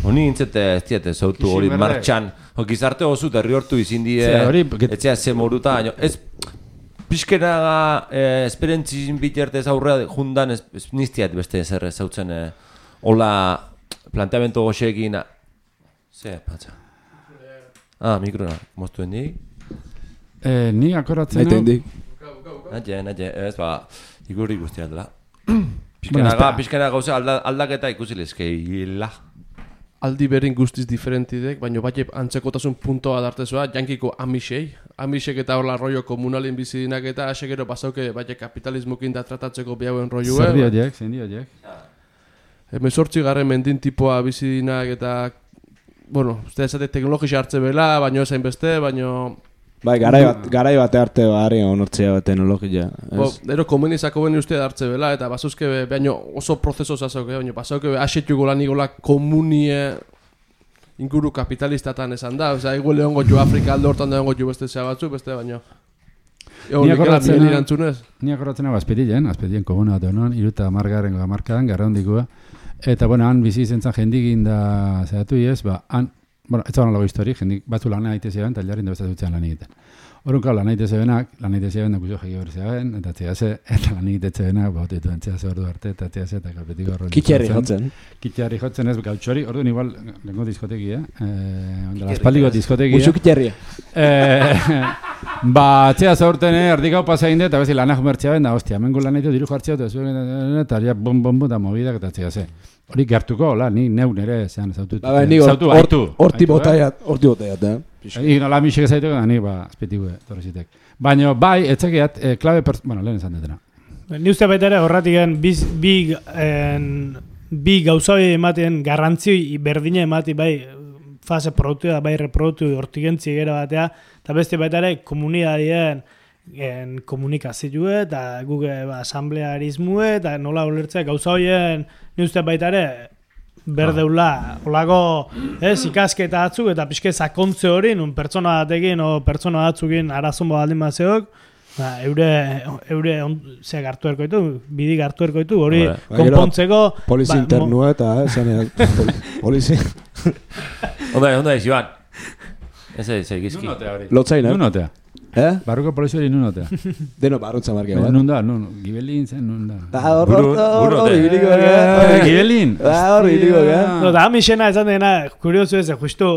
A: honi intzete ez diete zautu hori martxan, gizarte oso derri hortu izin die, etxea ze moruta, ez, pixkenaga esperientzizin bitertez aurrea jundan ez niztiat beste zer zautzen, hola planteamentu goxekin, ze, patxa. Ah, mikrona, moztuen dik?
D: Ni akoratzen hau?
C: Naiten dik.
A: Naite, naite, ez, ba, igurri guztiat dela. Pizkenaga, pizkenaga gauza aldaketa ikusi lezkeila.
B: Aldi berin guztiz diferentidek, baina bai antzekotasun puntoa dartezua, jankiko amixei. Amixek eta horla rollo komunalin bizidinak eta asegero pasauke bai kapitalismokin da tratatzeko bihauen rolloa.
D: Zer diotiek, zer diotiek.
B: Hemezortzi garren mendin tipoa bizidinak eta, bueno, uste esate teknologisa hartze bela, baina esain beste, baina...
C: Bai, garai bat, garai bate arte barri onortzea bat teknologia.
B: Bo, ero komenizako beni uste hartze bela, eta basuzke be, baina oso prozeso zazauke, baina basauke be, asetuko lan ikola komunie inguru kapitalistatan esan da, oza, ego lehon gotu Afrika alde hortan da gotu beste zea batzu, beste baina...
D: Ni akorratzen hau azpetien, azpetien komuna bat honan, iruta amargarren amarkadan, garra hondikua. Eta, bueno, han bizi zentzan jendikin da zehatu iez, ba, han bueno, ez zaban lago histori, jendik batzu lan egite zeben, eta jarrin da beste dutzean lan egiten. Horun kau, lan egite zebenak, lan egite zeben da kuzio jeki hori zeben, eta txeaze, eta lan egite zebenak, ba, otitu entxeaze ordu arte, eta txeaze, eta kalpetiko horren.
C: Kitxerri jotzen.
D: Kitxerri jotzen ez, gautxori, orduan igual, lengo diskoteki, eh? eh Aspaldiko diskoteki,
C: Muxu kitxerria.
D: Eh, ba, txeaze urten, eh, erdik hau pasa egin eta bezi lanak mertxea ben, da, hostia, hemengo lan egite diru jartzea, eta zuen, eta ja, bom, bom, bom, eta mobidak, eta txeaze. Hori gertuko, hola, ni neu nere, zean, zautu.
C: Ba, ni
D: zautu, haitu.
C: Horti botaiat, horti botaiat, eh?
D: Ig nola misik ezaitu, da, ni, ba, azpetikue, torrezitek. Baina, bai, etxekiat, eh, klabe, bueno, lehen esan detena.
E: Ni uste baita ere, horratik bi, bi, en, bi gauzai ematen garrantzi berdine emati, bai, fase produktu da, bai, reproduktu hortik entzi gara batea, eta beste baita ere, komunidadien en komunikazioa eta guge ba, asamblearismue eta nola ulertzea gauza horien ni uste baita ere berdeula olako ez ikasketa batzuk eta pixke sakontze hori nun pertsona batekin o pertsona batzukin arazon baldin bazeok ba, eure eure on, ze hartu erko ditu bidi hartu erko ditu hori konpontzeko
C: polizi ba, internua eta esanean polizi
A: onda onda Joan ese ese gizki
C: lotzaina
D: nunotea
C: eh
D: barruko polizia hori nunotea
C: deno barrutza marke bat
D: nun da nun gibelin zen nun da
C: da hor hor hor ibiliko
D: gibelin
C: da hor ibiliko
E: no da misena esan dena kurioso ez justu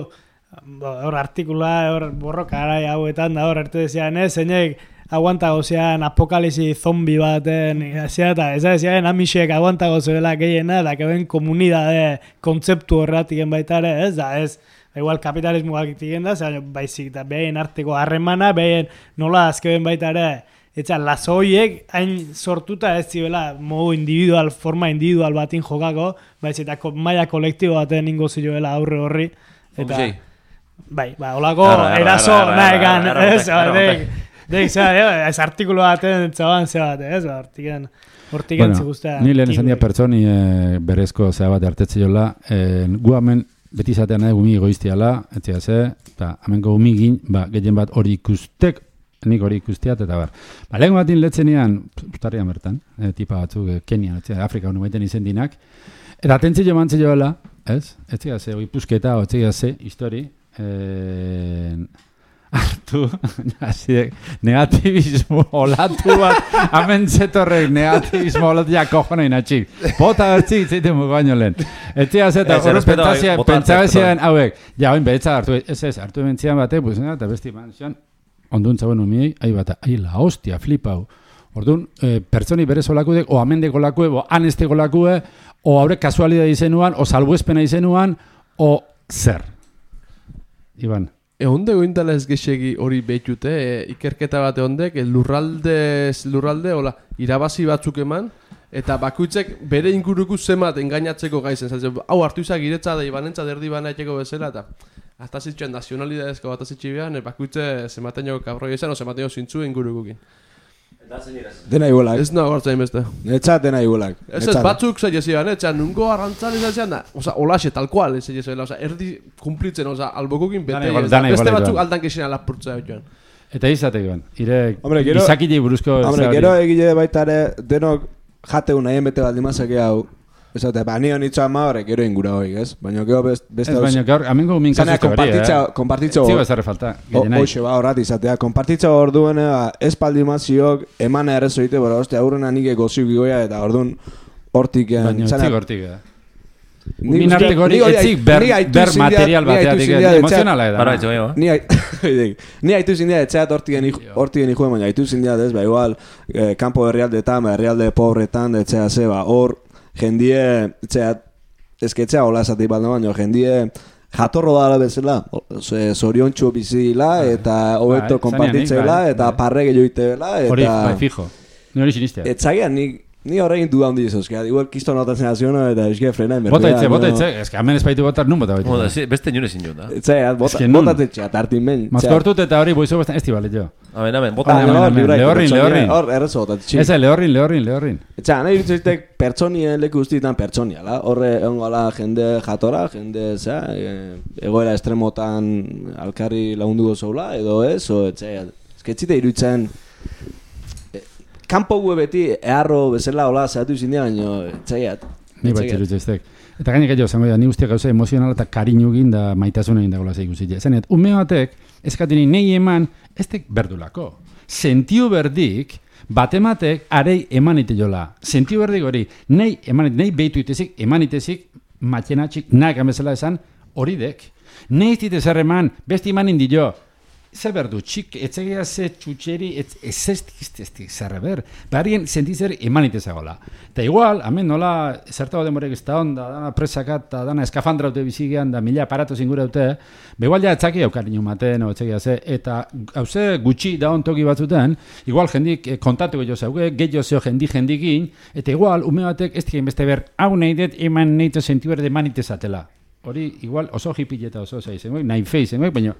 E: hor artikula hor borroka arai hauetan da hor arte desean ez zeinek aguanta gozean apokalipsi zombi baten hasiera eta ez desean amisek aguanta gozuela gehiena da keben komunidade kontzeptu horratiken baita ere ez da ez igual kapitalismo egiten da, baizik eta behin arteko harremana, behin nola azkeben baita ere, eta lazoiek hain sortuta ez zibela modu individual, forma individual batin jokako, baizik eta maila kolektibo baten ingo zioela aurre horri, eta bai, ba, olako eraso nahekan, ez, deik, ez artikulu baten zaban zebat, ez, hortiken, hortiken ziguztea.
D: Ni lehen esan dia pertsoni berezko zea bat hartetze jola, gu hemen beti izatean nahi gumi egoiztiala, etzia ze, eta hamenko gumigin, ba, gehien bat hori ikustek, nik hori ikustiat, eta bar. Ba, lehen batin letzenian, ustarrian bertan, e, tipa batzuk, e, Kenian, etzia, Afrika honu baiten izen dinak, eta atentzi jo mantzi joela, ez? Etzia ze, hori pusketa, etzia ze, histori, e, hartu, negativismo olatu bat, hamen zetorrek negativismo olatu ja kojona inatxik. Bota bertzik zeiten mugu baino lehen. Etzia zeta, hori pentsabezian, hauek, ja, oin behetza hartu, ez ez, hartu bentzian bate, pues, eta besti manzion, onduntza bueno miei, ahi bata, ahi la hostia, flipau. Orduan, eh, pertsoni berez olakudek, o amendeko lakue, o anesteko lakue, o haure kasualidad izenuan, o salbuespena izenuan, o zer. Iban.
B: Egonde gointala ez gexegi hori behitute, e, ikerketa bat egondek, e, lurralde, lurralde, hola, irabazi batzuk eman, eta bakuitzek bere inguruko zemat engainatzeko gaizen. Zaten, hau hartu izak giretza da ibanentza derdi bana etxeko bezala, eta atazitxoen nazionalidadezko atazitxi behan, e, bakuitze zematen jo kabroi izan, o zematen jo zintzu ingurukukin.
C: Dena igualak.
B: Ez nago hartzain beste.
C: Netzat dena igualak.
B: Ez ez, batzuk zei jezian, etxean, nungo arrantzan izan zean da, oza, olaxe, tal cual, ez jezian, oza, erdi kumplitzen, oza, albokokin bete, ez da, beste batzuk aldan kexena lapurtza joan.
D: Eta izate joan, ire izakile buruzko...
C: Hombre, gero egile baitare, denok jateun nahien bete baldimazak hau, ez da, ba, nio nitzoa ma horrek, gero ingura hoik, ez? Baina gero beste...
D: Ez, baina gaur, amengo min kasu izte hori, eh?
C: Kompartitzo...
D: Zigo ez arre falta, gehienai.
C: Hoxe, ba, horrat izatea. Kompartitzo hor duen, ez paldimaziok, emana errezo ite, bora, ostia, aurrena nike goziuk igoia, eta hor duen hortik...
D: Baina etzik hortik, eh? Min arteko hori etzik ber material bateatik, emozionala edan.
C: Ni haitu zindia, etxeat hortigen ikuen, baina haitu zindia, ez, ba, igual, kampo herrialdetan, herrialde pobretan, etxea ze, ba, hor, jendie, etxea, ezketzea hola esatik bat baino, jendie jatorro dara bezala, zoriontxu bizila, eta hobeto konpartitzela, eta parrege joitela, eta...
D: Hori, bai, fijo. Ni hori sinistea.
C: Etzagean, ni... Ni horrein duda hundi izuz, igual kisto notatzen aziono eta eski frena inbertia.
D: Bota itze, bota itze, eski hamen espaitu botar nun bota
A: baita. Beste nire zin jut, da.
C: Etze, bota tetxe, atartin ben.
D: Mazkortut eta hori boizu bestan esti balet jo.
A: Amen, amen, bota.
D: Lehorrin, lehorrin.
C: Hor, errezo botat txik.
D: Eze, lehorrin, lehorrin, lehorrin.
C: Etxe, nahi dituztek pertsonien leku guztietan pertsoniala. Horre, egongoala jende jatora, jende, zera, egoera estremotan alkarri lagunduko zoula, edo ez, o, etxe, ezketzite iruditzen... Kampo gue beti eharro bezala hola zehatu izin dira, baina txaiat.
D: Ni bat txerutze eztek. Eta gainek jo, zango da, ni guztiak gauza emozionala eta kariñu egin da maitasun egin dagoela zei ikusi. Zanet, ume batek, eskatini nei eman, ez tek berdulako. Sentiu berdik, batematek arei eman ite jola. Sentiu berdik hori, nei eman ite, nei behitu itezik, eman itezik, matxenatxik, nahi gamezela esan, hori dek. Nei ez dite zer eman, besti eman indi jo. Zer berdu, txik, etzegia ze txutxeri, ez ez ez zerre ber. Barrien sentizer eman itezagola. Eta igual, hemen nola, zertago demorek ez da onda, dana presakat, eta dana eskafandra dute bizigean, da mila aparato zingura dute, begual ja etzaki aukarinu maten, o etzegia ze, eta hauze gutxi da ontoki batzuten, igual jendik kontatuko jo zeuge, gehiago zeo jendik jendikin, eta igual, ume batek ez dien beste ber, hau nahi dut eman nahi zentu berde eman itezatela. Hori, igual, oso hipileta oso zaizen, nahi feizen, baina...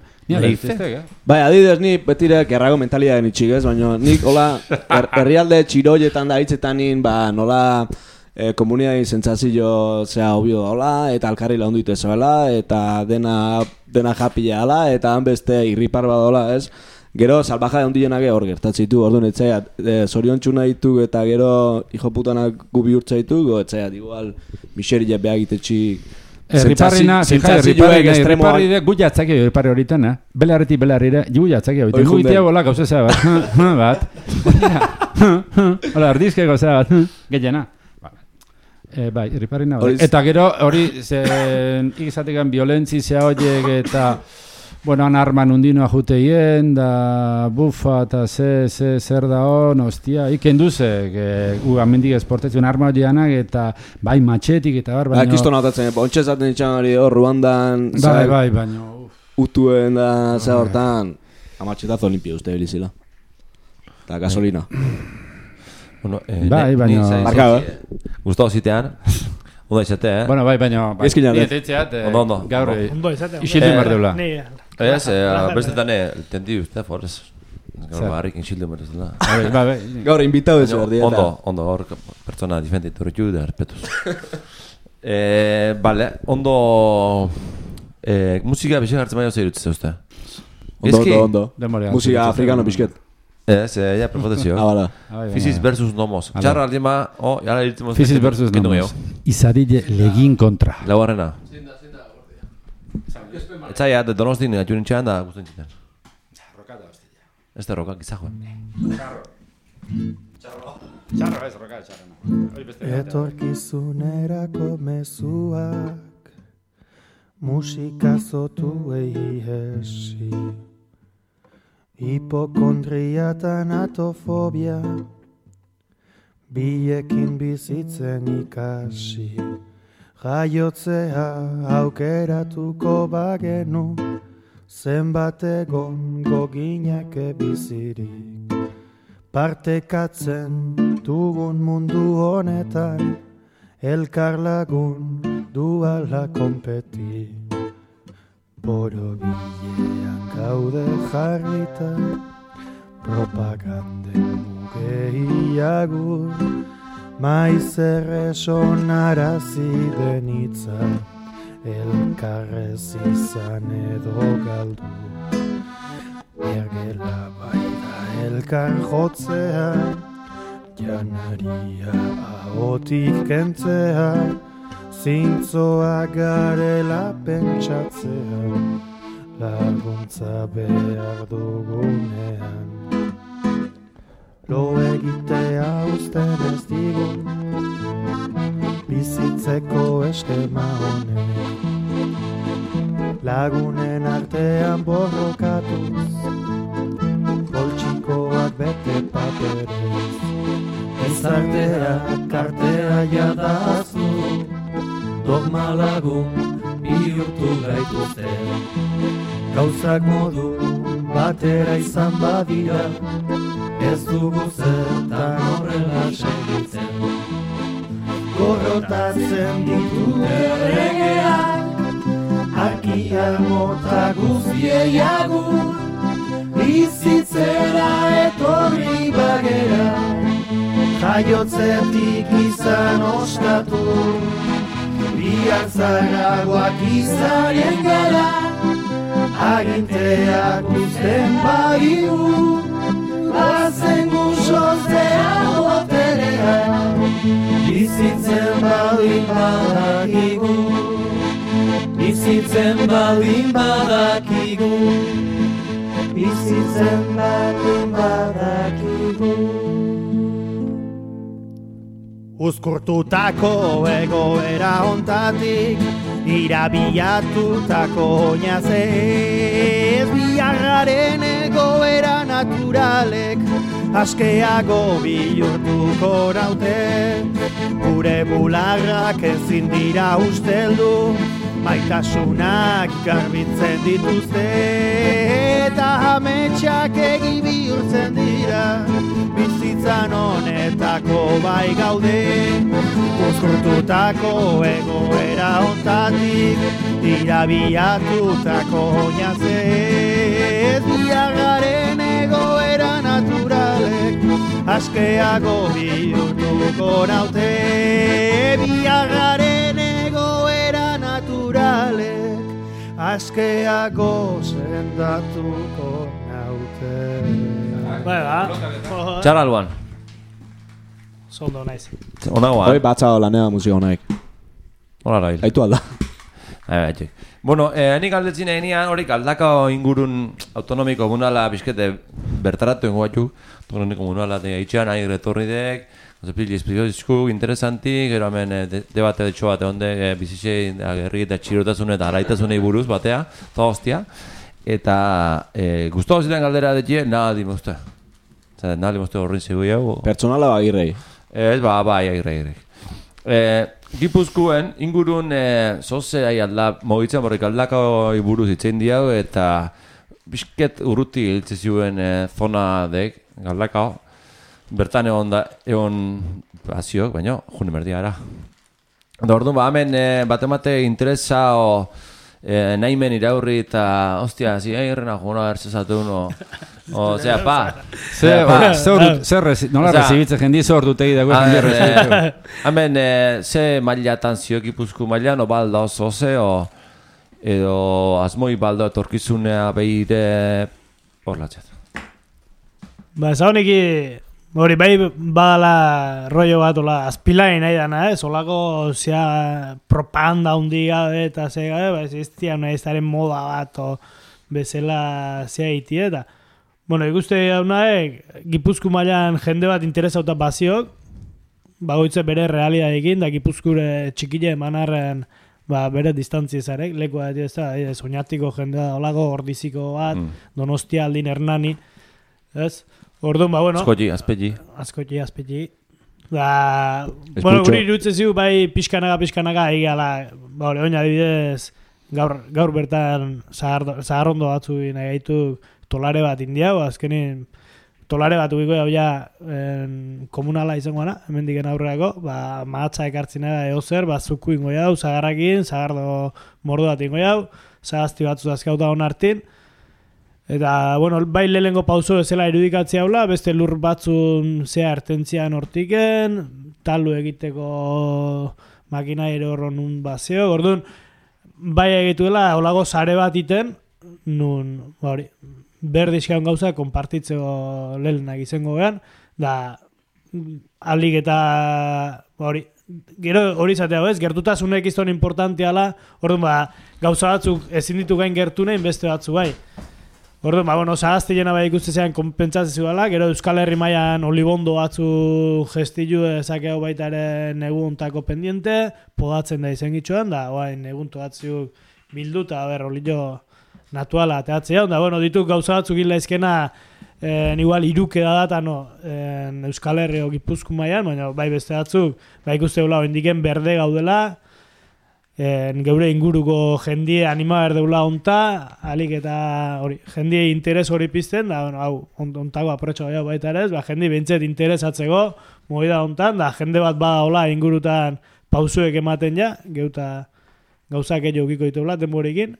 C: Bai, adidez ni betire gerrago mentalidad nitxik ez, baina nik hola er, herrialde txiroietan da hitzetanin, ba, nola eh, komunidain sentsazio zea obio hola, eta alkarri laundu itezoela, eta dena, dena japila ala, eta han beste irripar badola ez. Gero, salbaja handienak hor gertatzitu, orduan etzaiat, e, zoriontxuna ditu eta gero hijo putanak gubi urtza ditu, go etzaiat, igual, miseria behagitetxik.
D: Riparrina, riparri de guia atzaki riparri horitan, eh? Belarreti belarrire, guia atzaki horitan. Guitea bola gauza zea bat, bat. Hola, ardizke gauza bat, gehiena. Bai, riparrina hori. Eta gero hori, ikizatekan violentzi zea horiek eta... Bueno, han arman undinoa juteien, da bufa eta ze, ze, zer da hon, ostia, iken duze, gu amendik esportetzen arma horianak eta bai matxetik eta bar, baina...
C: Kisto notatzen, ontsa zaten itxan hori hor, Ruandan,
D: bai, bai, baina...
C: Utuen da, ze hortan, amatxetazo limpio uste bilizila. Eta gasolina.
A: Bueno, eh,
D: bai, baina...
C: Markado, eh?
A: Gustavo zitean... Ondo izate, eh?
D: Bueno, bai, baina...
C: Ezkinan, eh?
A: Ondo, ondo.
D: Gaur,
E: ondo izate.
D: isildu mardeula.
A: Ez, bestetan, tendi uste, forez. Gaur barrik inxildu mardeula.
D: Bai, bai.
C: Gaur, invitau ez berdi.
A: Ondo, ondo, gaur pertsona diferente torretu da, respetuz. Bale, ondo... Musika bixek hartzen baino zeirutze uste.
C: Ondo, ondo, ondo. Musika afrikano pixket.
A: Ez, ja, prefotezio.
C: Ah, bala.
A: Fisis versus nomos. Txarra aldima, oh, jara irtemos...
D: Fisis versus nomos. Izarille legin kontra.
A: Laugarrena. Etzaia, de donostin, atxurin txean da guztien txiten.
D: Rokata, hostia.
A: Ez da rokak izajoen.
D: Txarro. Txarro. Txarro ez, rokata, txarro.
F: Etorkizunerako mezuak musika zotuei hesi. Hipokondria eta natofobia biekin bizitzen ikasi. Jaiotzea aukeratuko bagenu zenbat egon goginake bizirik. Partekatzen dugun mundu honetan elkar lagun duala konpeti. Borobilean gaude jarrita, propaganden mugeiagur, maiz erresonarazi denitza, elkarrez izan edo galdu. Ergela baita elkar jotzea, janaria ahotik kentzea, zintzoa garela pentsatzea, laguntza behar dugunean. Lo egitea usten ez digun, bizitzeko eskema honek. Lagunen artean borrokatuz, poltsikoak bete paperez. Ezartea, kartea jadaztu, dogma lagun bihurtu gaituzte. Gauzak modu batera izan badira, ez dugu zertan horrela segitzen. Gorrotatzen ditu erregeak, arkia mota guztiei agur, bizitzera etorri bagera, jaiotzetik izan ostatu, bihartzaragoak izarien gara, aginteak uzten bagigu, bazen guxoztea boterea, bizitzen baldin badakigu. bizitzen baldin badakigu, bizitzen baldin badakigu.
G: Uzkurtutako egoera hontatik, irabiatutako oinazez, biarraren egoera naturalek, askeago bihurtuko naute, gure bularrak ezin dira usteldu, maitasunak garbitzen dituzte, eta ametsak egi bihurtzen dira, bizitzan honetako bai gaude. Uzkurtutako egoera hontatik, irabiatutako oinazez, biarraren egoera naturalek, askeago bihurtuko naute, biarraren egoera naturalek, askeago sendatuko naute.
E: Bai, ba.
A: Txarra alban.
E: Zondo naiz.
A: Onagoan.
C: Hoi batza lanea musika honaik.
A: Hola rail.
C: Aitu alda.
A: Bai, bueno, eh, nik aldetzin eginean horik aldaka ingurun autonomiko munala bizkete bertaratu ingo batzuk. Autonomiko munala de itxean nahi retorri dek. Zepili esprizioizku interesantik, gero hemen eh, de, debate detxo bat egon dek eh, bizitxe agerri eta txirotasun eta araitasunei buruz batea, toda hostia. Eta eh, guztu hau ziren galdera detxie, nahi mozte. Zer, nahi mozte horrein zegu jau.
C: Pertsonala agirrei.
A: Ez, ba, bai, agirrei, agirrei. Eh, Gipuzkoen ingurun eh, zoze ahi alda, mogitzen borrik aldako buruz itzein diau, eta bizket urruti hiltze zuen eh, zona dek, galdakao. Bertan egon da, egon baziok, baina june merdia era. Da orduan, ba, hemen eh, bat-emate interesa o eh, nahimen iraurri eta, ostia, zi, eh, irrena juguna bertzezatu uno. O, zera, pa.
D: Zer,
A: pa.
D: zer, nola rezibitze jendi zor dutegi dago jendi rezibitze.
A: Hemen, ze mailatan zio Gipuzko mailan, o balda oso ze, o edo asmoi balda etorkizunea behire horlatzet.
E: Ba, ez hau neki, hori bai badala rollo bat, ola, azpilain nahi dana, eh? Solako zea propaganda hundi gabe eta ze gabe, ba, ez iztia nahi ezaren moda bat, o bezala zea iti eta. Bueno, ikuste dauna, eh, Gipuzko mailan jende bat interesauta baziok, bagoitze bere realidadekin, da Gipuzkure txikile emanarren ba, bere distantzi ezarek, leku bat ez da, soñatiko jende da, olago ordiziko bat, mm. Donostia aldin Hernani, ez? Orduan, ba, bueno.
A: Askotxi, azpetxi.
E: Askotxi, azpetxi. Da, bueno, guri irutze ziu, bai, pixkanaga, pixkanaga, egala, ba, hori, oina adibidez, gaur, gaur bertan zaharrondo batzu nahi gaitu tolare bat indiago, azkenin tolare bat ubiko jau ja en, komunala izangoana, hemen diken aurreako, ba, mahatza ekartzina eo zer, ba, zuku ingo jau, zagarrakin, zagardo mordo bat ingo jau, zagazti batzu azkauta hon hartin, eta, bueno, bai lehengo pauso ezela irudikatzea haula, beste lur batzun zea ertentzian hortiken, talu egiteko makina ere horron nun bazeo, orduan, bai egituela, holago sare bat iten, nun, ba hori, berdizkan gauza konpartitzeko lehenak izango behan, da, alik eta, ba hori, gero hori zatea bez, gertutasunek izton importantiala, orduan, ba, gauza batzuk ezin ditu gain gertu nahin, beste batzu bai. Orduan, ba, bueno, zagazte jena bai ikustezean konpentsazio dela, gero Euskal Herri mailan olibondo batzu gestilu ezakeu baita ere neguntako pendiente, podatzen da izen gitxoan, da, oain neguntu batzuk bilduta, ber, olillo natuala ateatzea, da, bueno, dituk gauza batzuk gila izkena, en, igual iruke da data, no, en, Euskal Herri o Gipuzko mailan, baina bai beste batzuk, bai ikuste gula, indiken berde gaudela, En, geure inguruko jendie anima berdeula onta, alik eta hori, jendie interes hori pizten, da, bueno, hau, on, ontago aprotxo gaiau baita ere, ba, jendie bintzet interesatzeko, movida ontan, da, jende bat bada hola ingurutan pausuek ematen ja, geuta gauzak egin ukiko ditubla, denborikin,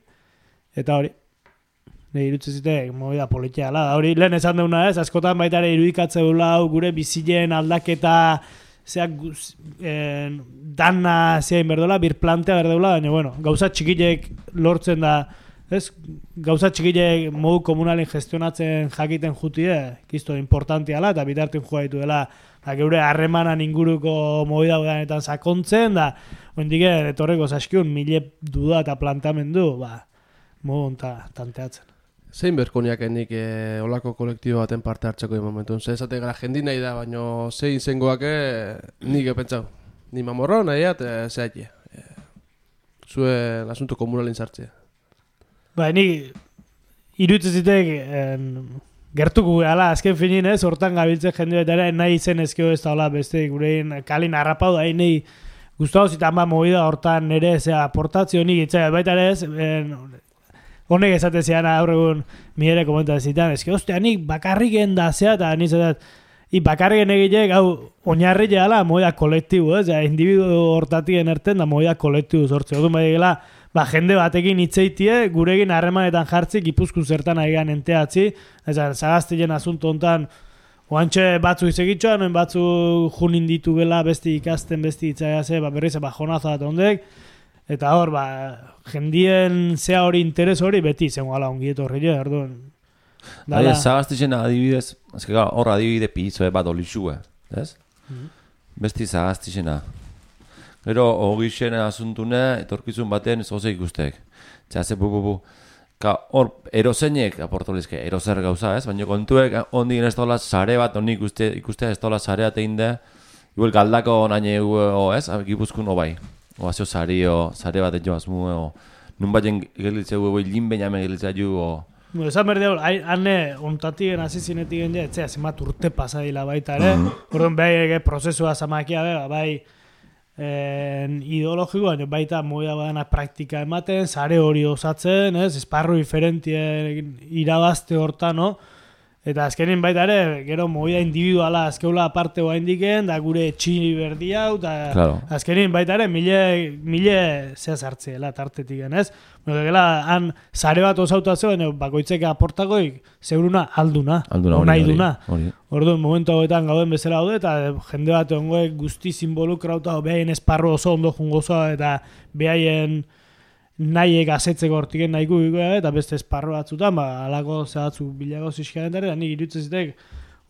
E: eta hori, ne irutze zitek, movida politia, da, hori, lehen esan deuna ez, askotan baita ere irudikatze dula, hau, gure bizilen aldaketa, zeak eh, dana zein berdola, birplantea berdola, baina bueno, gauza txikilek lortzen da ez, gauza txikile modu komunalin gestionatzen jakiten jutie, kisto importantiala, eta bitartin joa ditu dela, da, geure harremanan inguruko movida udanetan sakontzen, da, oindik etorreko zaskiun, mile duda eta plantamendu, ba, modu onta tanteatzen.
B: Zein berkoniakenik e, olako kolektibo baten parte hartzeko momentun? Ze esate gara jendi nahi da, baina zein zengoak nik epentzau. Ni mamorro nahi at, e, zehatie. E, zuen asunto komunalin sartzea.
E: Ba, ni iruditzen zitek gertuko gala, azken finin ez, hortan gabiltzen jende betara, nahi izen ezkeo ez da hola beste gurein kalin harrapau da, nahi guztau zitan ba movida hortan nire zea aportazio nik itzea, baita ere ez, en, honek esate zean aurregun mire komentazitan, ezke ostia nik bakarriken da zea, eta nizatat, i bakarriken egilek, hau, oinarri gehala movida kolektibo, ez, individu hortatien erten da movida kolektibo sortze, odun bai gela, ba, jende batekin hitzeitie, guregin harremanetan jartzi, Gipuzkoan zertan aigan enteatzi, ez da, zagaztien asunto hontan, oantxe batzu izegitxoan, noin batzu junin ditu gela, besti ikasten, besti itzaiaze, ba, berriz, ba, jonaza bat ondek, eta hor, ba, jendien zea hori interes hori, beti zen gala ongieto horri, orduan.
A: Dala, zagaztien adibidez, ezke gara, hor adibide pizoe bat olixue, ez? Mm-hmm. Besti zagaztien Gero, hogixen asuntune, etorkizun batean ez goze ikustek. Txea, ze bu, bu, bu. Ka, hor, erozeinek aportolizke, erozer gauza, ez? Baina kontuek, ondik ez dola sare bat, onik ikuste, ikustea ez dola sare bat egin da, igual galdako naine egu, ez? Gipuzkun, o bai. O, azio sari, o, sare bat egin azmu, o, nun baten gelitze egu, oi, linbein ame gelitze ju, o...
E: Bueno, esan berde hor, hane, ontatien azizinetik gen ja, etzea, zemat urte pasadila baita, ere? Orduan, bai, prozesua zamakia, bai, En, ideologiko, baina baita moia badana praktika ematen, sare hori osatzen, ez, esparru diferentien irabazte hortan, no? Eta azkenin baita ere, gero moia individuala azkeula aparte hoa indiken, da gure txini berdi hau, eta
A: claro.
E: Azkenin baita ere, mile, mile zehaz hartzeela tartetik, ez? Bueno, gela, han sare bat osautatzeo, bakoitzeka aportakoik, zeuruna alduna,
A: alduna hori,
E: nahi duna.
A: Hori.
E: Orduan, momentu hauetan gauden bezala daude, eta jende bat ongoek guztiz involukrauta, behaien esparru oso ondo jungozoa, eta behaien nahiek asetzeko hortiken nahiko bikoa, eta beste esparru batzutan, ba, alako zehatzu bilago zizkanetare, eta nik irutzen zitek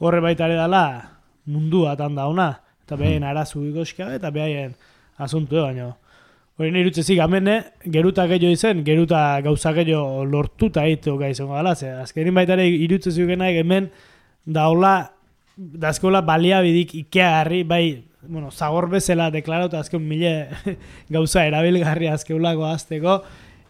E: horre baita ere dala mundu batan dauna, eta behaien arazu bikoska, eta behaien asuntu, baina hori nire irutzen amene, geruta gehiago izen, geruta gauza gehiago lortuta egiteko gaizongo gala, ze azkenin baita ere irutzen zikenaik hemen daula, dazkola baliabidik ikeagarri, bai, bueno, zagor bezala deklarauta azken mile gauza erabilgarri azkeulako azteko,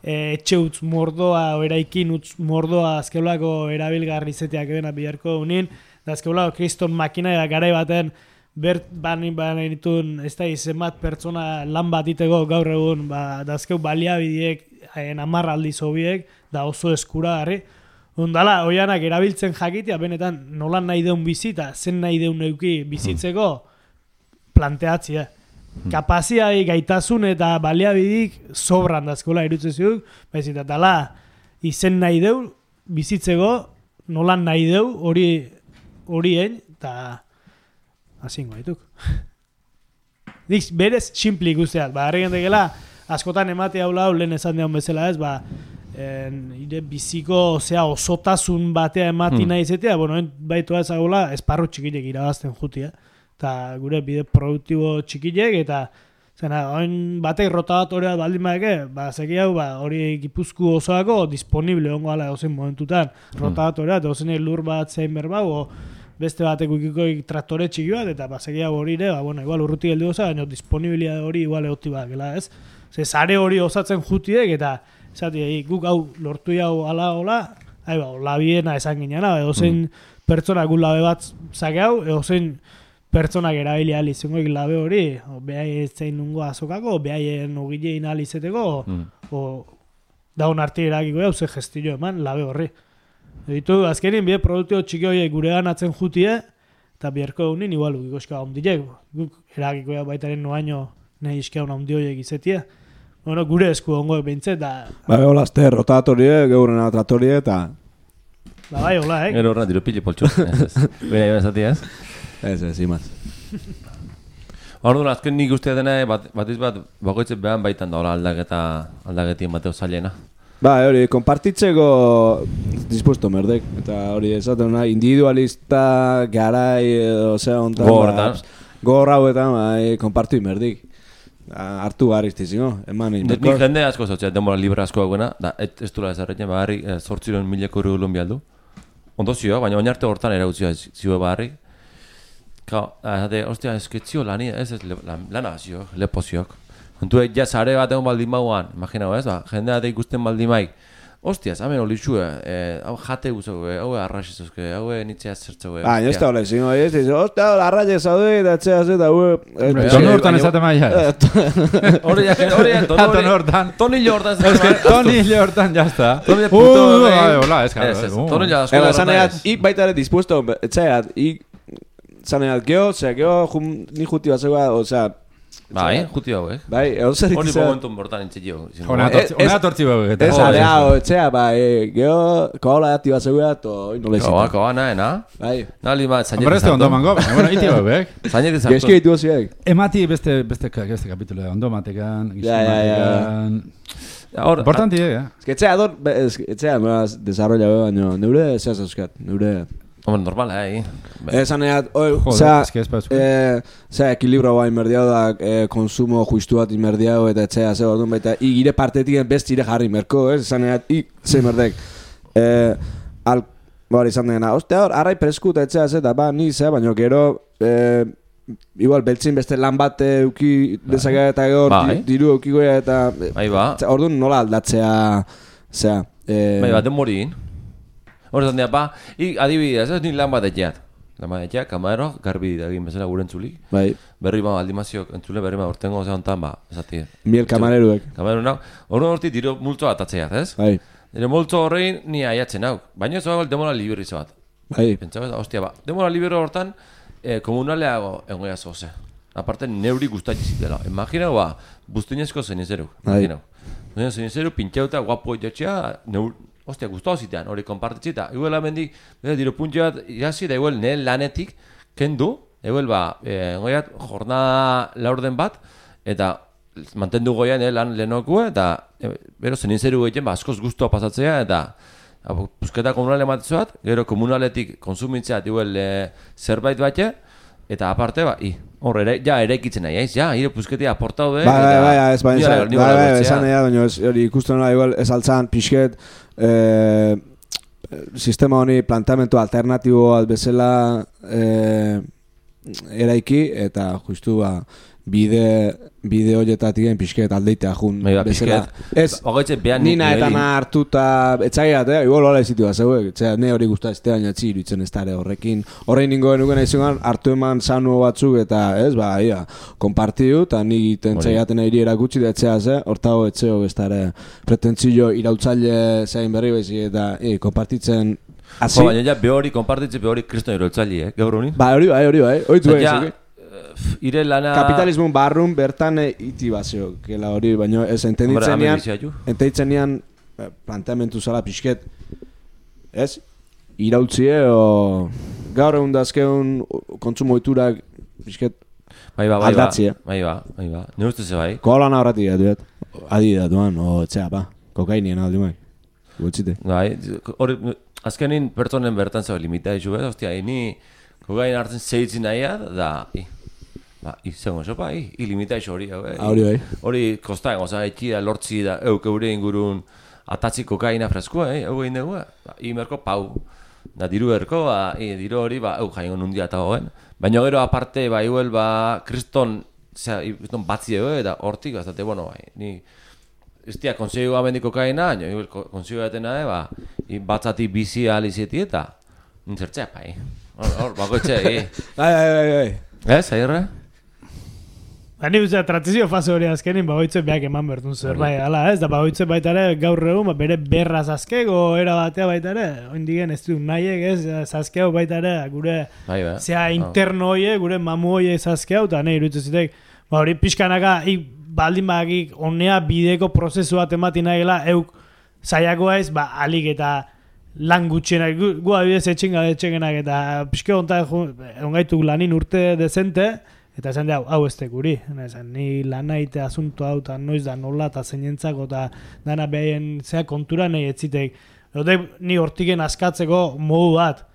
E: e, etxe utz mordoa, eraikin utz mordoa azkeulako erabilgarri zeteak ebena biharko unin, da azkeulako kriston makina eta garai baten bert bani bani ditun, ez da izemat pertsona lan bat iteko gaur egun, ba, da azkeu baliabidiek, amarra aldiz hobiek, da oso eskuragarri, ondala, oianak erabiltzen jakitea, benetan nolan nahi deun bizita, zen nahi deun neuki bizitzeko, planteatzea. Kapaziai gaitasun eta baliabidik sobran dazkola irutzen ziduk, baizik eta tala izen nahi deu, bizitzeko, nolan nahi deu, hori horien, eta hasingo haituk. Dik, berez, simple ikusteat, ba, harri gentekela, askotan emate hau lau, lehen esan deun bezala ez, ba, en, ire biziko, osea, osotasun batea emati hmm. nahi zetea, bueno, baitu ezagula, esparru txikilek irabazten jutia. Eta gure bide produktibo txikilek, eta zena, oin batek rotatorea baldin badeke, ba, zeki hau, ba, hori Gipuzku osoako disponible ongo ala dozen momentutan rotatorea, eta dozen lur bat zein berbau, o beste batek ukikoik traktore txiki bat, eta ba, zeki hau hori ere, ba, bueno, igual urruti geldi goza, baina disponibilia hori igual eoti bat, gela, ez? Ze, zare hori osatzen jutiek, eta zati, guk hau lortu hau ala hola, hai ba, labiena esan gineana, edo zein mm. pertsona gu labe bat zake hau, edo zein pertsonak erabili alizungoik labe hori, o behai zein nungo azokako, o behaien ogilein alizeteko, mm. o daun arti erakiko hau ze gestillo eman labe horri. Editu, azkenin bide produktibo txiki horiek gure ganatzen jutie, eta biherko egunin igual ugikoska ondilek, guk erakiko hau baitaren noaino nahi iskea ondi horiek izetie. Bueno, gure esku ongoek behintzet, da...
C: Ba, hola, azte, rotatorie, geurena tratorie, eta...
E: Ba, bai, hola, eh?
A: Gero horren dirupili poltsu. Bera, joan zati, ez?
C: Ez, ez, imaz.
A: Orduan, azken nik uste dena, bat, batiz bat, bakoitzen behan baitan da, aldaketa, aldaketien bateo zailena.
C: Ba, hori, konpartitzeko dispuesto merdek. Eta hori, esaten nahi, individualista, garai, edo, zera ontan,
A: Gogorretan.
C: gogor hauetan, bai, konpartui merdik. Hartu garriztiziko, eman egin.
A: Nik jende asko zautzea, denbora libre asko dagoena, da, ez dula ezarretzen, baharri, zortziron mileko euro lon bialdu. Ondo zio, baina oinarte hortan erautzioa zio baharri. Kao, zate, ostia, ezketzio lani, ez ez lana zio, lepo ziok. Entuek, ja, zare bat egon baldin bauan, imaginau ez, ba, jendea da ikusten baldin maik. Ostiaz, hamen olitxue, hau jate guzauke, hau arraxizuzke, hau nitzea zertzauke.
C: Ah, ez da hola, zingo, ez diz, ostia, arraxe zaude, eta txea zeta, hau...
D: Tono hortan ezate maia.
A: Hori, hori,
D: tono hortan.
A: Tonillo hortan.
D: Ez que tonillo hortan, jazta.
A: Tonillo puto,
D: hola, ez
A: Ez, ez, tonillo asko.
C: Ego, zaneat, ik baita ere dispuesto, etxeat, ik... Zaneat, geho, zera, geho, ni juti bat zegoa, osea...
A: Bai, juti hauek.
C: Bai, egon zer
A: Hori
C: ikizea...
A: momentu bortan entzio.
D: Hona tortzi bau.
C: Ez, alea, etxea, bai, geho, koala ati bat zegoa, to, nola izita.
A: Koa, koa, nahe, na?
C: Bai.
A: Nali bat, zainek
D: Hombre, este ondo mango, bueno, iti bau, bek?
A: Zainek izartu.
C: Geski ditu ziek.
D: Emati beste, beste, beste kapitulu, ondo matekan,
C: Ja, ja, ja.
D: Importanti, eh?
C: Ez que etxea, ador, etxea, meraz, desarrolla, baina, neure, zehaz euskat, neure...
A: Hombre, normala, eh?
C: Esan egat, oi,
D: Joder, es que es pa esku.
C: zera, ekilibro bai merdiau da, konsumo justu bat inmerdiau, eta etxea, ze orduan baita, i gire partetik best ire jarri merko, ez? Esan egat, i, ze merdek. Al, bori, izan dena, ostia hor, arrai presku eta etxea, ze, eta ba, ni, ze, baina gero, igual, beltzin beste lan bat euki dezakea eta gero, diru eukikoa eta...
A: Bai, ba.
C: Orduan nola aldatzea, zera...
A: Bai, bat, den morin. Hor esan dira, ba, ik adibidez, ez ni lan bat etxeat. Lan bat etxeat, kamero, garbi egin bezala gure entzulik.
C: Bai.
A: Berri ba, aldimaziok entzule, berri ba, ortengo ze hontan, ba, esati.
C: Miel kamareruek.
A: Kamareru nau. Hor horti diro multo bat atzeat, ez?
C: Bai.
A: Diro multo horrein ni aiatzen hau. Baina ez dago demora liberi bat.
C: Bai.
A: Pentsau ez, ostia, ba, demora libero hortan, komunaleago engoia zoze. Aparte, neuri gustatzi zitela. Imaginau, ba, buztinezko zenizeru. Imaginau. Buztinezko zenizeru, pintxauta, guapo etxea, neur... Ostia, guztau zitean, hori konpartitzita. Igual amendik, diro puntxe bat, jasi, da igual, nire lanetik, kendu, igual, ba, goiat, jornada laurden bat, eta mantendu goian, nire lan lehenokue, eta, bero, zeninzeru egiten, ba, askoz guztua pasatzea, eta, pusketa komunale ematezuat, gero komunaletik konsumitzeat, igual, zerbait batxe, eta aparte, ba, i, hor, ere, ja, ere ikitzen nahi, eiz, ja, hire pusketia aportau be,
C: bai, bai, bai, ez, bai,
A: bai,
C: bai, bai, esan nahi, baina, hori, ikusten nola, igual, ez altzan, pixket, Eh, sistema honi planteamendu alternatibo bat bezala eh, eraiki eta justu ba, bide bide horietatik pixket aldeitea jun bezala. Ez, nina eta na hartuta etxaiat, eh? Igual hola izitu bat zeuek, ne hori guztua eztea baina txi iruditzen ez dara horrekin. Horrein ningo genuken aizugan hartu eman sanu batzuk eta ez, ba, ia, konpartiu eta nik tentzaiaten airi erakutsi da etxea ze, hortago etxeo bestare pretentzio irautzaile zein berri bezi eta i, konpartitzen hasi.
A: Jo, baina ja, behori konpartitzen behori kriston irautzaile, eh? Gaur honi?
C: Ba, hori bai, hori bai, hori du ez,
A: ire lana...
C: Kapitalismo barrun bertan iti bazio, kela hori, baina ez entenditzen nian, entenditzen nian planteamentu zala pixket, ez? Irautzie, o... Gaur egun dazkeun kontsumo iturak pixket
A: bai ba, bai
C: aldatzie.
A: Bai ba, bai ba, ne uste ze bai?
C: Kolan horretik dut, adi da duan, o etxea, ba, kokainien aldi maik, gutxite.
A: Bai, hori, azkenin pertsonen bertan zaba limita dizu, bez? Ostia, ni kokain hartzen zeitzin nahia, da, i. Ba, izango sopa, i, ilimita iso hori, hau, eh?
C: Hori bai.
A: Hori kostain, oza, etxi da, lortzi da, euk eure ingurun atatzi kokaina freskua, eh? Hau egin dugu, ba, imerko pau. Da, diru erko, ba, i, diru hori, ba, euk jaingo nundia eta goen. Baina gero aparte, ba, igual, ba, kriston, zera, kriston batzi dugu, eta hortik, bazate, bueno, bai, ni... Ez tia, konsegu amendi kokaina, baina, igual, konsegu batena, eh, ba, i, batzati bizi alizeti eta, nintzertzea, bai. Hor, hor, bako etxe, i.
C: Bai, bai, bai, bai.
A: Ez, aierre?
E: Hani uzea, transizio fase hori azkenin, bagoitze beak eman bertun zer, bai, ala ez, da bagoitze baita ere gaur egun, ba, bere berra zazkego era batea baita ere, oindigen ez du nahiek ez, zazkego baita ere, gure,
A: bai, bai.
E: zea interno hoie, gure mamu hoie zazkego, eta nahi iruditzen zitek, ba hori pixkanaka, i, baldin bagik, onea bideko prozesu bat emati nahigela, euk zaiakoa ez, ba, alik eta lan gutxenak, gu abidez etxinga etxegenak, eta pixke onta, ongaituk lanin urte dezente, Eta esan da, hau ez tekuri. Esan, ni lan naite asunto hau, eta noiz da nola, eta zeinentzako, eta dana behaien zea kontura nahi etzitek. Dute, ni hortiken askatzeko modu bat.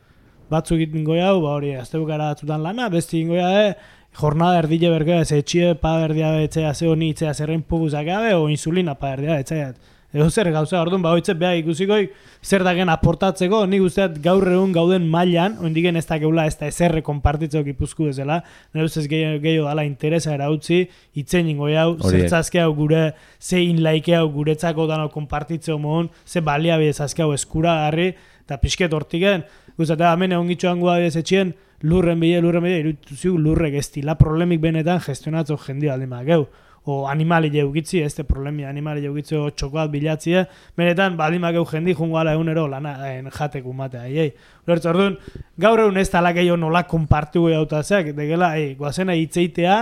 E: Batzuk egiten goia hau, ba hori, azte bukara batzutan lana, besti egin goia, eh, jornada erdile bergea, ez etxie pa berdia betzea, ze honi itzea zerrein puguzak gabe, o insulina pa berdia betzea. Edo zer gauza, orduan, ba hoitzet beha ikusikoik, zer dagen aportatzeko, nik usteat gaur egun gauden mailan, oindigen ez da geula, ez da ezerre konpartitzeko Gipuzku ezela, nire ustez gehiago dala interesa erautzi, itzen ingo hau, zertzazke hau gure, zein laike hau guretzako dano konpartitzeko mohon, ze baliabide zazke hau eskura garri, eta pixket hortiken, guztatea, hemen egon gitxoan gua etxien, lurren bide, lurren bide, irutuziuk lurrek ez dila problemik benetan gestionatzo jendio aldi mageu. O animali jeugitzi, ez de problemi animali jeugitzi o txokoat bilatzie, benetan baldin mageu jendi jungo ala egunero lana en jateku matea. Ei, Lortz, orduan, gaur egun ez talak eio nola konpartu goi autazeak, degela, ei, guazena hitzeitea,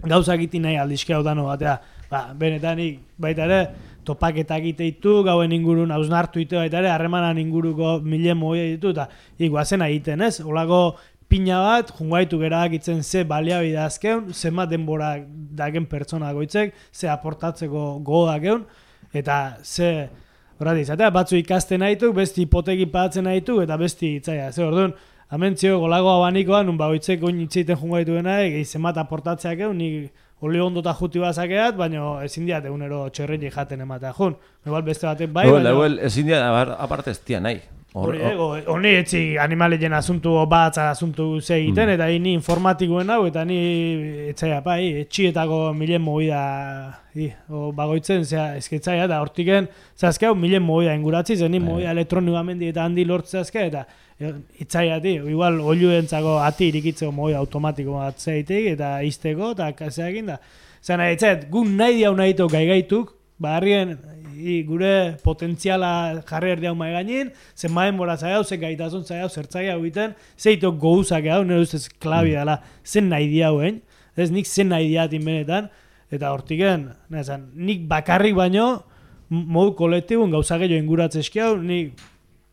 E: gauzak iti nahi aldizke hau dano batea. Ba, benetan, ik, baita ere, topaketak iteitu, gauen ingurun hausnartu ite baita ere, harremanan inguruko mile moia ditu, eta ik, guazena egiten, ez? Olako pina bat, junguaitu gerak itzen ze baliabide azkeun, zenbat denbora dagen pertsona goitzek, ze aportatzeko gogoak egun, eta ze, horret izatea, batzu ikasten nahitu, besti hipoteki pagatzen nahitu, eta besti itzaia, ze orduan, amentzio golago abanikoa, nun bagoitzek oin itzeiten junguaitu dena, gehi zenbat aportatzeak egun, nik oli ondota juti bazakeat, baina ezin diat egunero txerretik jaten ematea jun. Igual beste batek bai,
A: baina... Igual ezin diat, aparte ez tia nahi.
E: Honi etzi animalien asuntu bat asuntu ze egiten, eta ni informatikoen hau, eta ni etzaia pa, etxietako milen movida bagoitzen, ezketzaia, eta hortiken, zazke hau milen movida inguratzi, zen ni movida elektronikoamendi eta handi lortzazke, eta itzaia, igual oluentzako ati irikitzeko movida automatiko bat zeitek, eta izteko, eta kaseakin da. Zena, etzait, gu nahi diau nahi tok gaigaituk, ba harrien, I, gure potentziala jarri erdi hau maiganin, zen maen bora zaiau, zen gaitazun zaiau, zertzai hau egiten, zeitok gouzak hau, nire ustez klabi dela, zen nahi di hauen, ez nik zen nahi diatin benetan, eta hortiken, nezan, nik bakarrik baino, modu kolektibun gauza gehiago inguratzezki hau, nik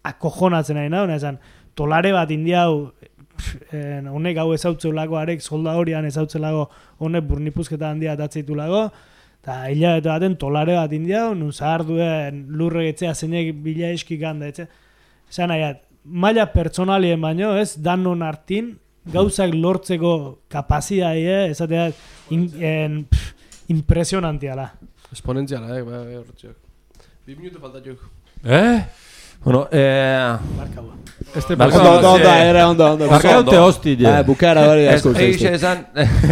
E: akojonatzen nahi nahu, nezan, tolare bat indiau, honek hau ezautzeulako, arek solda horian ezautzeulako, honek burnipuzketa handia atatzeitulago, eta hilabete baten tolare bat india, nun zahar duen lurre etzea zeinek bila eskik handa, etxe. Zan nahiat, maila pertsonalien baino, ez, danon hartin, gauzak lortzeko kapazitatea, ezatea, in, en, impresionantiala.
B: Exponentziala, eh, ba, hortziak. Bi minutu faltatuk.
A: Eh? Bueno, eh...
E: Barkau.
D: Este
C: Ondo, ondo, ondo, era ondo, ondo.
D: Barkaute hostile.
C: Bukara hori asko
A: uste. Egixe esan...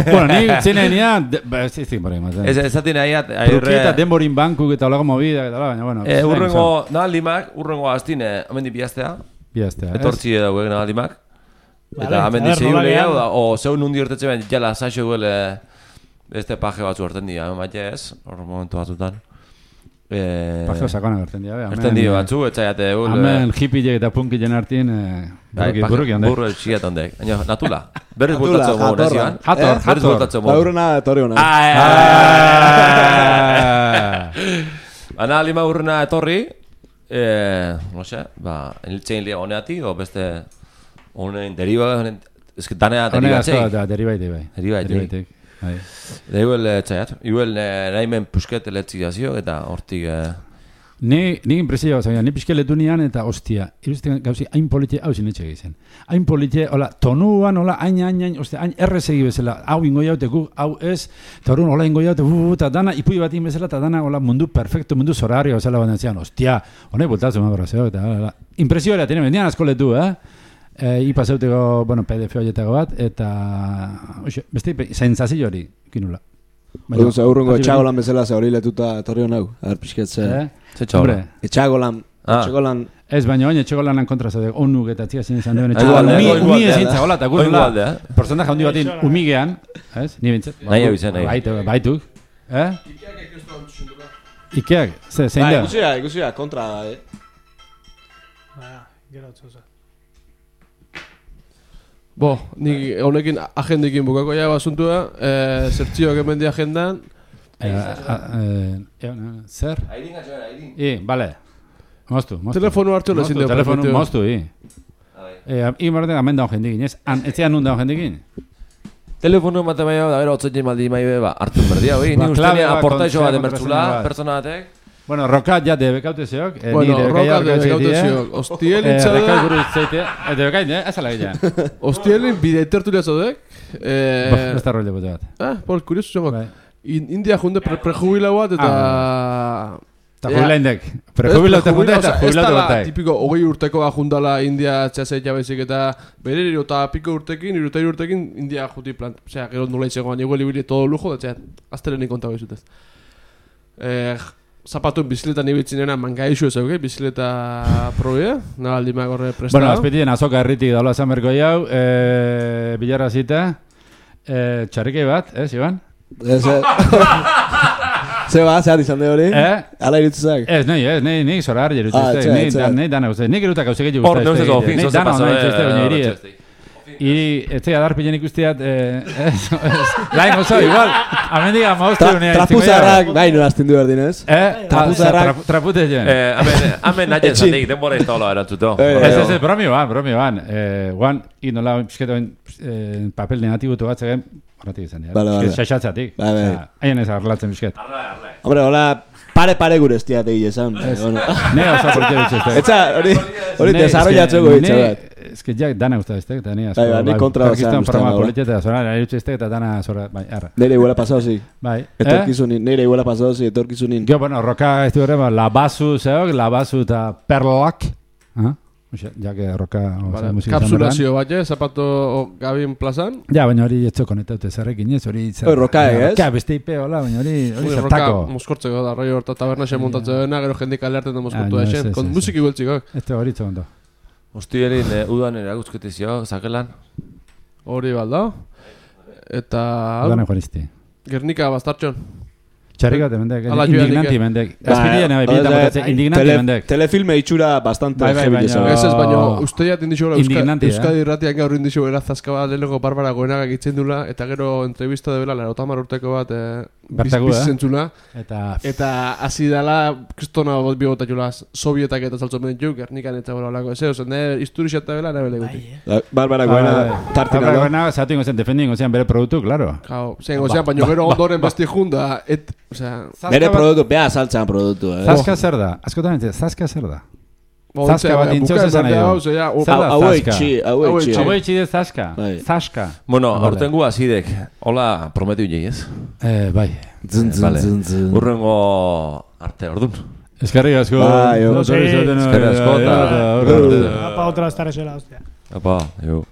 D: Bueno, ni zinenian... Ez izin bori ematen.
A: Ez ezatin nahiat...
D: Trukieta denborin bankuk eta olago movida, eta baina, bueno...
A: Urrengo, nahalimak, urrengo aztine, hemen di biaztea.
D: Biaztea, ez?
A: Etortzi edago egin nahalimak. Eta hemen di zehiu lehiago da, o zeun nundi hortetze ben, jala saixo guele... Beste paje batzu horten dira, maite ez, hor momentu batzutan.
D: Pajeo sakona gerten dira,
A: gerten dira batzu, etxaiate egun...
D: Hemen hippie eta punkillen hartin, burruki handek.
A: Burru txiat handek, baina natula. Berriz bultatzeo mogu nezian.
D: Hator, hator.
C: Baurrena etorri hona.
A: Ana lima urrena etorri, no sé, ba, eniltzein lia honeati, o beste honen deriva, ez que danea derivatzei.
D: Honea deriva ite bai.
A: Deriva ite. Da igual txaiat, igual nahimen pusket eletzi gazio, eta hortik...
D: Ni, ni impresioa zaila, ni pixke letu nian eta ostia, iruzten gauzi hain politie hau zinetxe egiten. Hain politie, hola, tonuan, hola, hain, hain, hain, ostia, hain errezegi bezala, hau ingo jaute, gu, hau ez, eta horren hola ingo jaute, bu, eta dana, ipui bat bezala, eta dana, hola, mundu perfecto, mundu zorario, bezala bat entzian, ostia, honek bultatzen ma brazeo, eta, hola, impresioa era, tiene, bendian asko letu, eh? E, ipa zeuteko, bueno, P D F horietako bat, eta, oxe, beste, zentzazio hori, kinula.
C: Baina, urrungo etxagolan bezala ze hori letuta etorri honau, aher pixketze.
A: Ze txagolan?
C: Etxagolan, etxagolan...
D: Ez, baina oin etxagolanan kontra zaude, onuk eta txia zin izan duen etxagolan. Umi ezin txagola, eta guztula, porcentaje handi batin umigean, ez? Ni bintzat.
A: Nahi hau izan, nahi.
D: Baituk, eh? Ikeak, ze, zein da?
C: Ikusia, ikusia, kontra, eh?
E: Ba, gero otzoza.
B: Bo, nik honekin agendekin bukako ja basuntua, eh, zertzioak hemen di agendan.
D: Zer?
A: Airin atxoen, airin.
D: I, bale. Moztu, moztu.
B: Telefonu hartu lezin deo.
D: Telefonu moztu, i. I marretan amen daun jendikin, ez? Ez zean nun daun jendikin?
A: Telefono emate baina, da bera, otzetzen maldi maibe, ba, hartzen berdia, hoi,
D: Ba,
A: ni
D: klabe
A: ustenia
D: bat,
A: aportaixo bat
D: kontzea,
A: emertzula,
D: kontraseña bat.
A: pertsona batek.
D: Bueno, rokat ja debekaute zeok. Eh,
B: Bueno,
D: ni
B: roka
D: debekaia
B: debekaute
D: orkaitze
B: zeok. Ostiel
D: Eh,
B: itxada.
D: rekai buru zeitea. Eh, debekain, eh? Azala gila.
B: Ostielin bide tertulia zaudek. Eh,
D: Ez da role bote bat.
B: ah, por curioso zongo.
D: Bai.
B: In, India junde pre prejubilatu bat eta...
D: Eta jubilaindek. Prejubilatu
B: Ez
D: junte eta
B: osea,
D: jubilatu
B: ez dala
D: batai.
B: tipiko hogei urtekoa jundala India txaseitea baizik eta bere hiru eta piko urtekin, hiru eta hiru urtekin India juti plan. Osea, gero nola itxegoan, igual ibili todo lujo, da txea, aztelenik konta behizutez. Eh, zapatuen bizikletan ibitzinena mangaixu ez auke, bizikleta probea, nabaldi magorre prestado.
D: Bueno, azpitien azoka herritik daula esan berko jau, eh, bilarra zita, eh, txarrikei bat, eh, Iban?
C: Ez, eh. Zeba, zehar izan de hori?
D: Eh?
C: Ala irutzak?
D: Ez, nahi, ez, nahi, nahi zora harri
C: Ah,
D: erutuzte,
C: etxea,
D: nahi,
C: etxea.
D: da- nahi dana guzti, nahi gerutak gauzek egin
A: Hor,
D: guzti.
A: neuzeko, fin,
D: Nahi
A: zoze
D: dana
A: paso,
D: nahi
A: eh,
D: txeste, baina iri,
A: txeste.
D: iri, etxea darpilen ikustiat, eh, ez, ez, lain oso, igual, amendik amauste
C: Tra,
D: unean.
C: trapuzarrak, bai, no azten du berdin ez?
D: Eh,
C: Trapuzarrak.
D: trapute joan.
A: Eh, hemen, hemen nahi
C: Etxin.
A: zatik, denbora ez da hola erantzuto.
C: Eh,
D: Ez, ez, ez, bromi ban, bromi ban. Eh, guan, inola, pixketoen, eh, papel negatibutu bat zegen, horretik izan dira.
C: Vale, vale.
D: Xaxatzatik.
C: Bai, bai.
D: Haien ez arlatzen pixket.
C: Hombre, hola, pare-pare gure estiat egin esan. Bueno.
D: Ne oso porte bitxezte.
C: Etza, hori, hori desarrollatzeko hitza bat.
D: Ez que jak dana usta eztek, eta ni asko.
C: Bai, bai, ni kontra
D: Pakistan
C: ozean
D: programa
C: ustean,
D: politieta, zora, nire utxeztek eta dana zora, bai, arra.
C: Nire iguala pasau zi.
D: Bai. Eh?
C: Etorkizunin, nire iguala pasau zi, etorkizunin.
D: Gio, bueno, roka ez du ere, ba, labazu zeok, labazu eta perlak. Ah? Oxe, ja que roka
B: Vale,
D: musika izan
B: kapsulazio bat, eh, zapato Gabin plazan.
D: Ja, baina hori etxo konetaute zerrekin ez, hori... zer-
C: Hori rokaek, ez?
D: Roka, beste ipe, hola, baina hori, hori
B: Ui, roka
D: zertako.
B: moskortzeko da, rollo horta taberna xe montatzeko dena, gero jendik alerten da moskortu
D: Ah,
B: da
D: no, ez,
B: xen,
D: ez,
B: kon
D: ez,
B: musiki gueltziko.
D: Ez da hori itzondo.
A: Ostielin, eh, udan eraguzketizio, zakelan.
B: Hori balda. Eta...
D: Dana jorizti.
B: Gernika bastartxon.
D: Txarrikate mendek,
B: Hala joan
D: indignanti
B: dike.
D: mendek. Azpidien, bai, bietan botatzen, indignanti
C: Tele-
D: mendek.
C: Telefilme itxura bastante
D: Bai, bai,
C: heavy
D: baina-
C: izan.
B: Ez ez, baina uste jat indixola
D: Indignante, eh?
B: Euskadi irratiak gaur indixo gara zaskaba lehenko barbara goenaga gitzen dula, eta gero entrevista de bela, larotamar urteko bat, eh,
D: Bertaku,
B: biz-
D: eh?
B: bizentzula.
D: Eta...
B: Eta hasi dela, kristona bot bigota jula, sovietak eta saltzen bentu, Gernikan eta bera olako. Ez, ozen, ne, historia eta bela, nahi bele guti.
C: Barbara goena, tartina
D: Barbara
C: da.
D: Goena, zatu ingo zen, defendi ingo zen bere produktu, claro.
B: Kao, zen, ozean, baina gero ondoren besti junda, et, osea...
C: Bere produktu, beha saltzan produktu, eh?
D: Zaska zer da? Askotan ente, zaska zer da?
B: Bo,
D: Zaska
B: ontze,
D: bat
B: bukaer
D: intzoz esan nahi
B: plantea
D: du.
B: hau, zera, o-
D: Zer da
C: Hau
D: zaska?
C: etxi, hau
B: Hau
C: etxi.
B: etxi.
D: Hau etxi de zaska?
C: Bai.
D: Zaska.
A: Bueno,
D: Vale.
A: hortengu azidek, hola prometiu jei, ez?
D: Eh, bai.
C: Zun, zun,
A: Vale.
C: zun, zun.
A: Urrengo arte, ordun.
D: Eskerrik asko.
C: Bai, jo.
D: Oso
E: Sí.
D: izaten,
A: Eskerrik asko,
D: eh,
A: eta-
D: eh, eh, eh, eh, eh,
E: Apa otra estar hostia.
A: Apa, jo.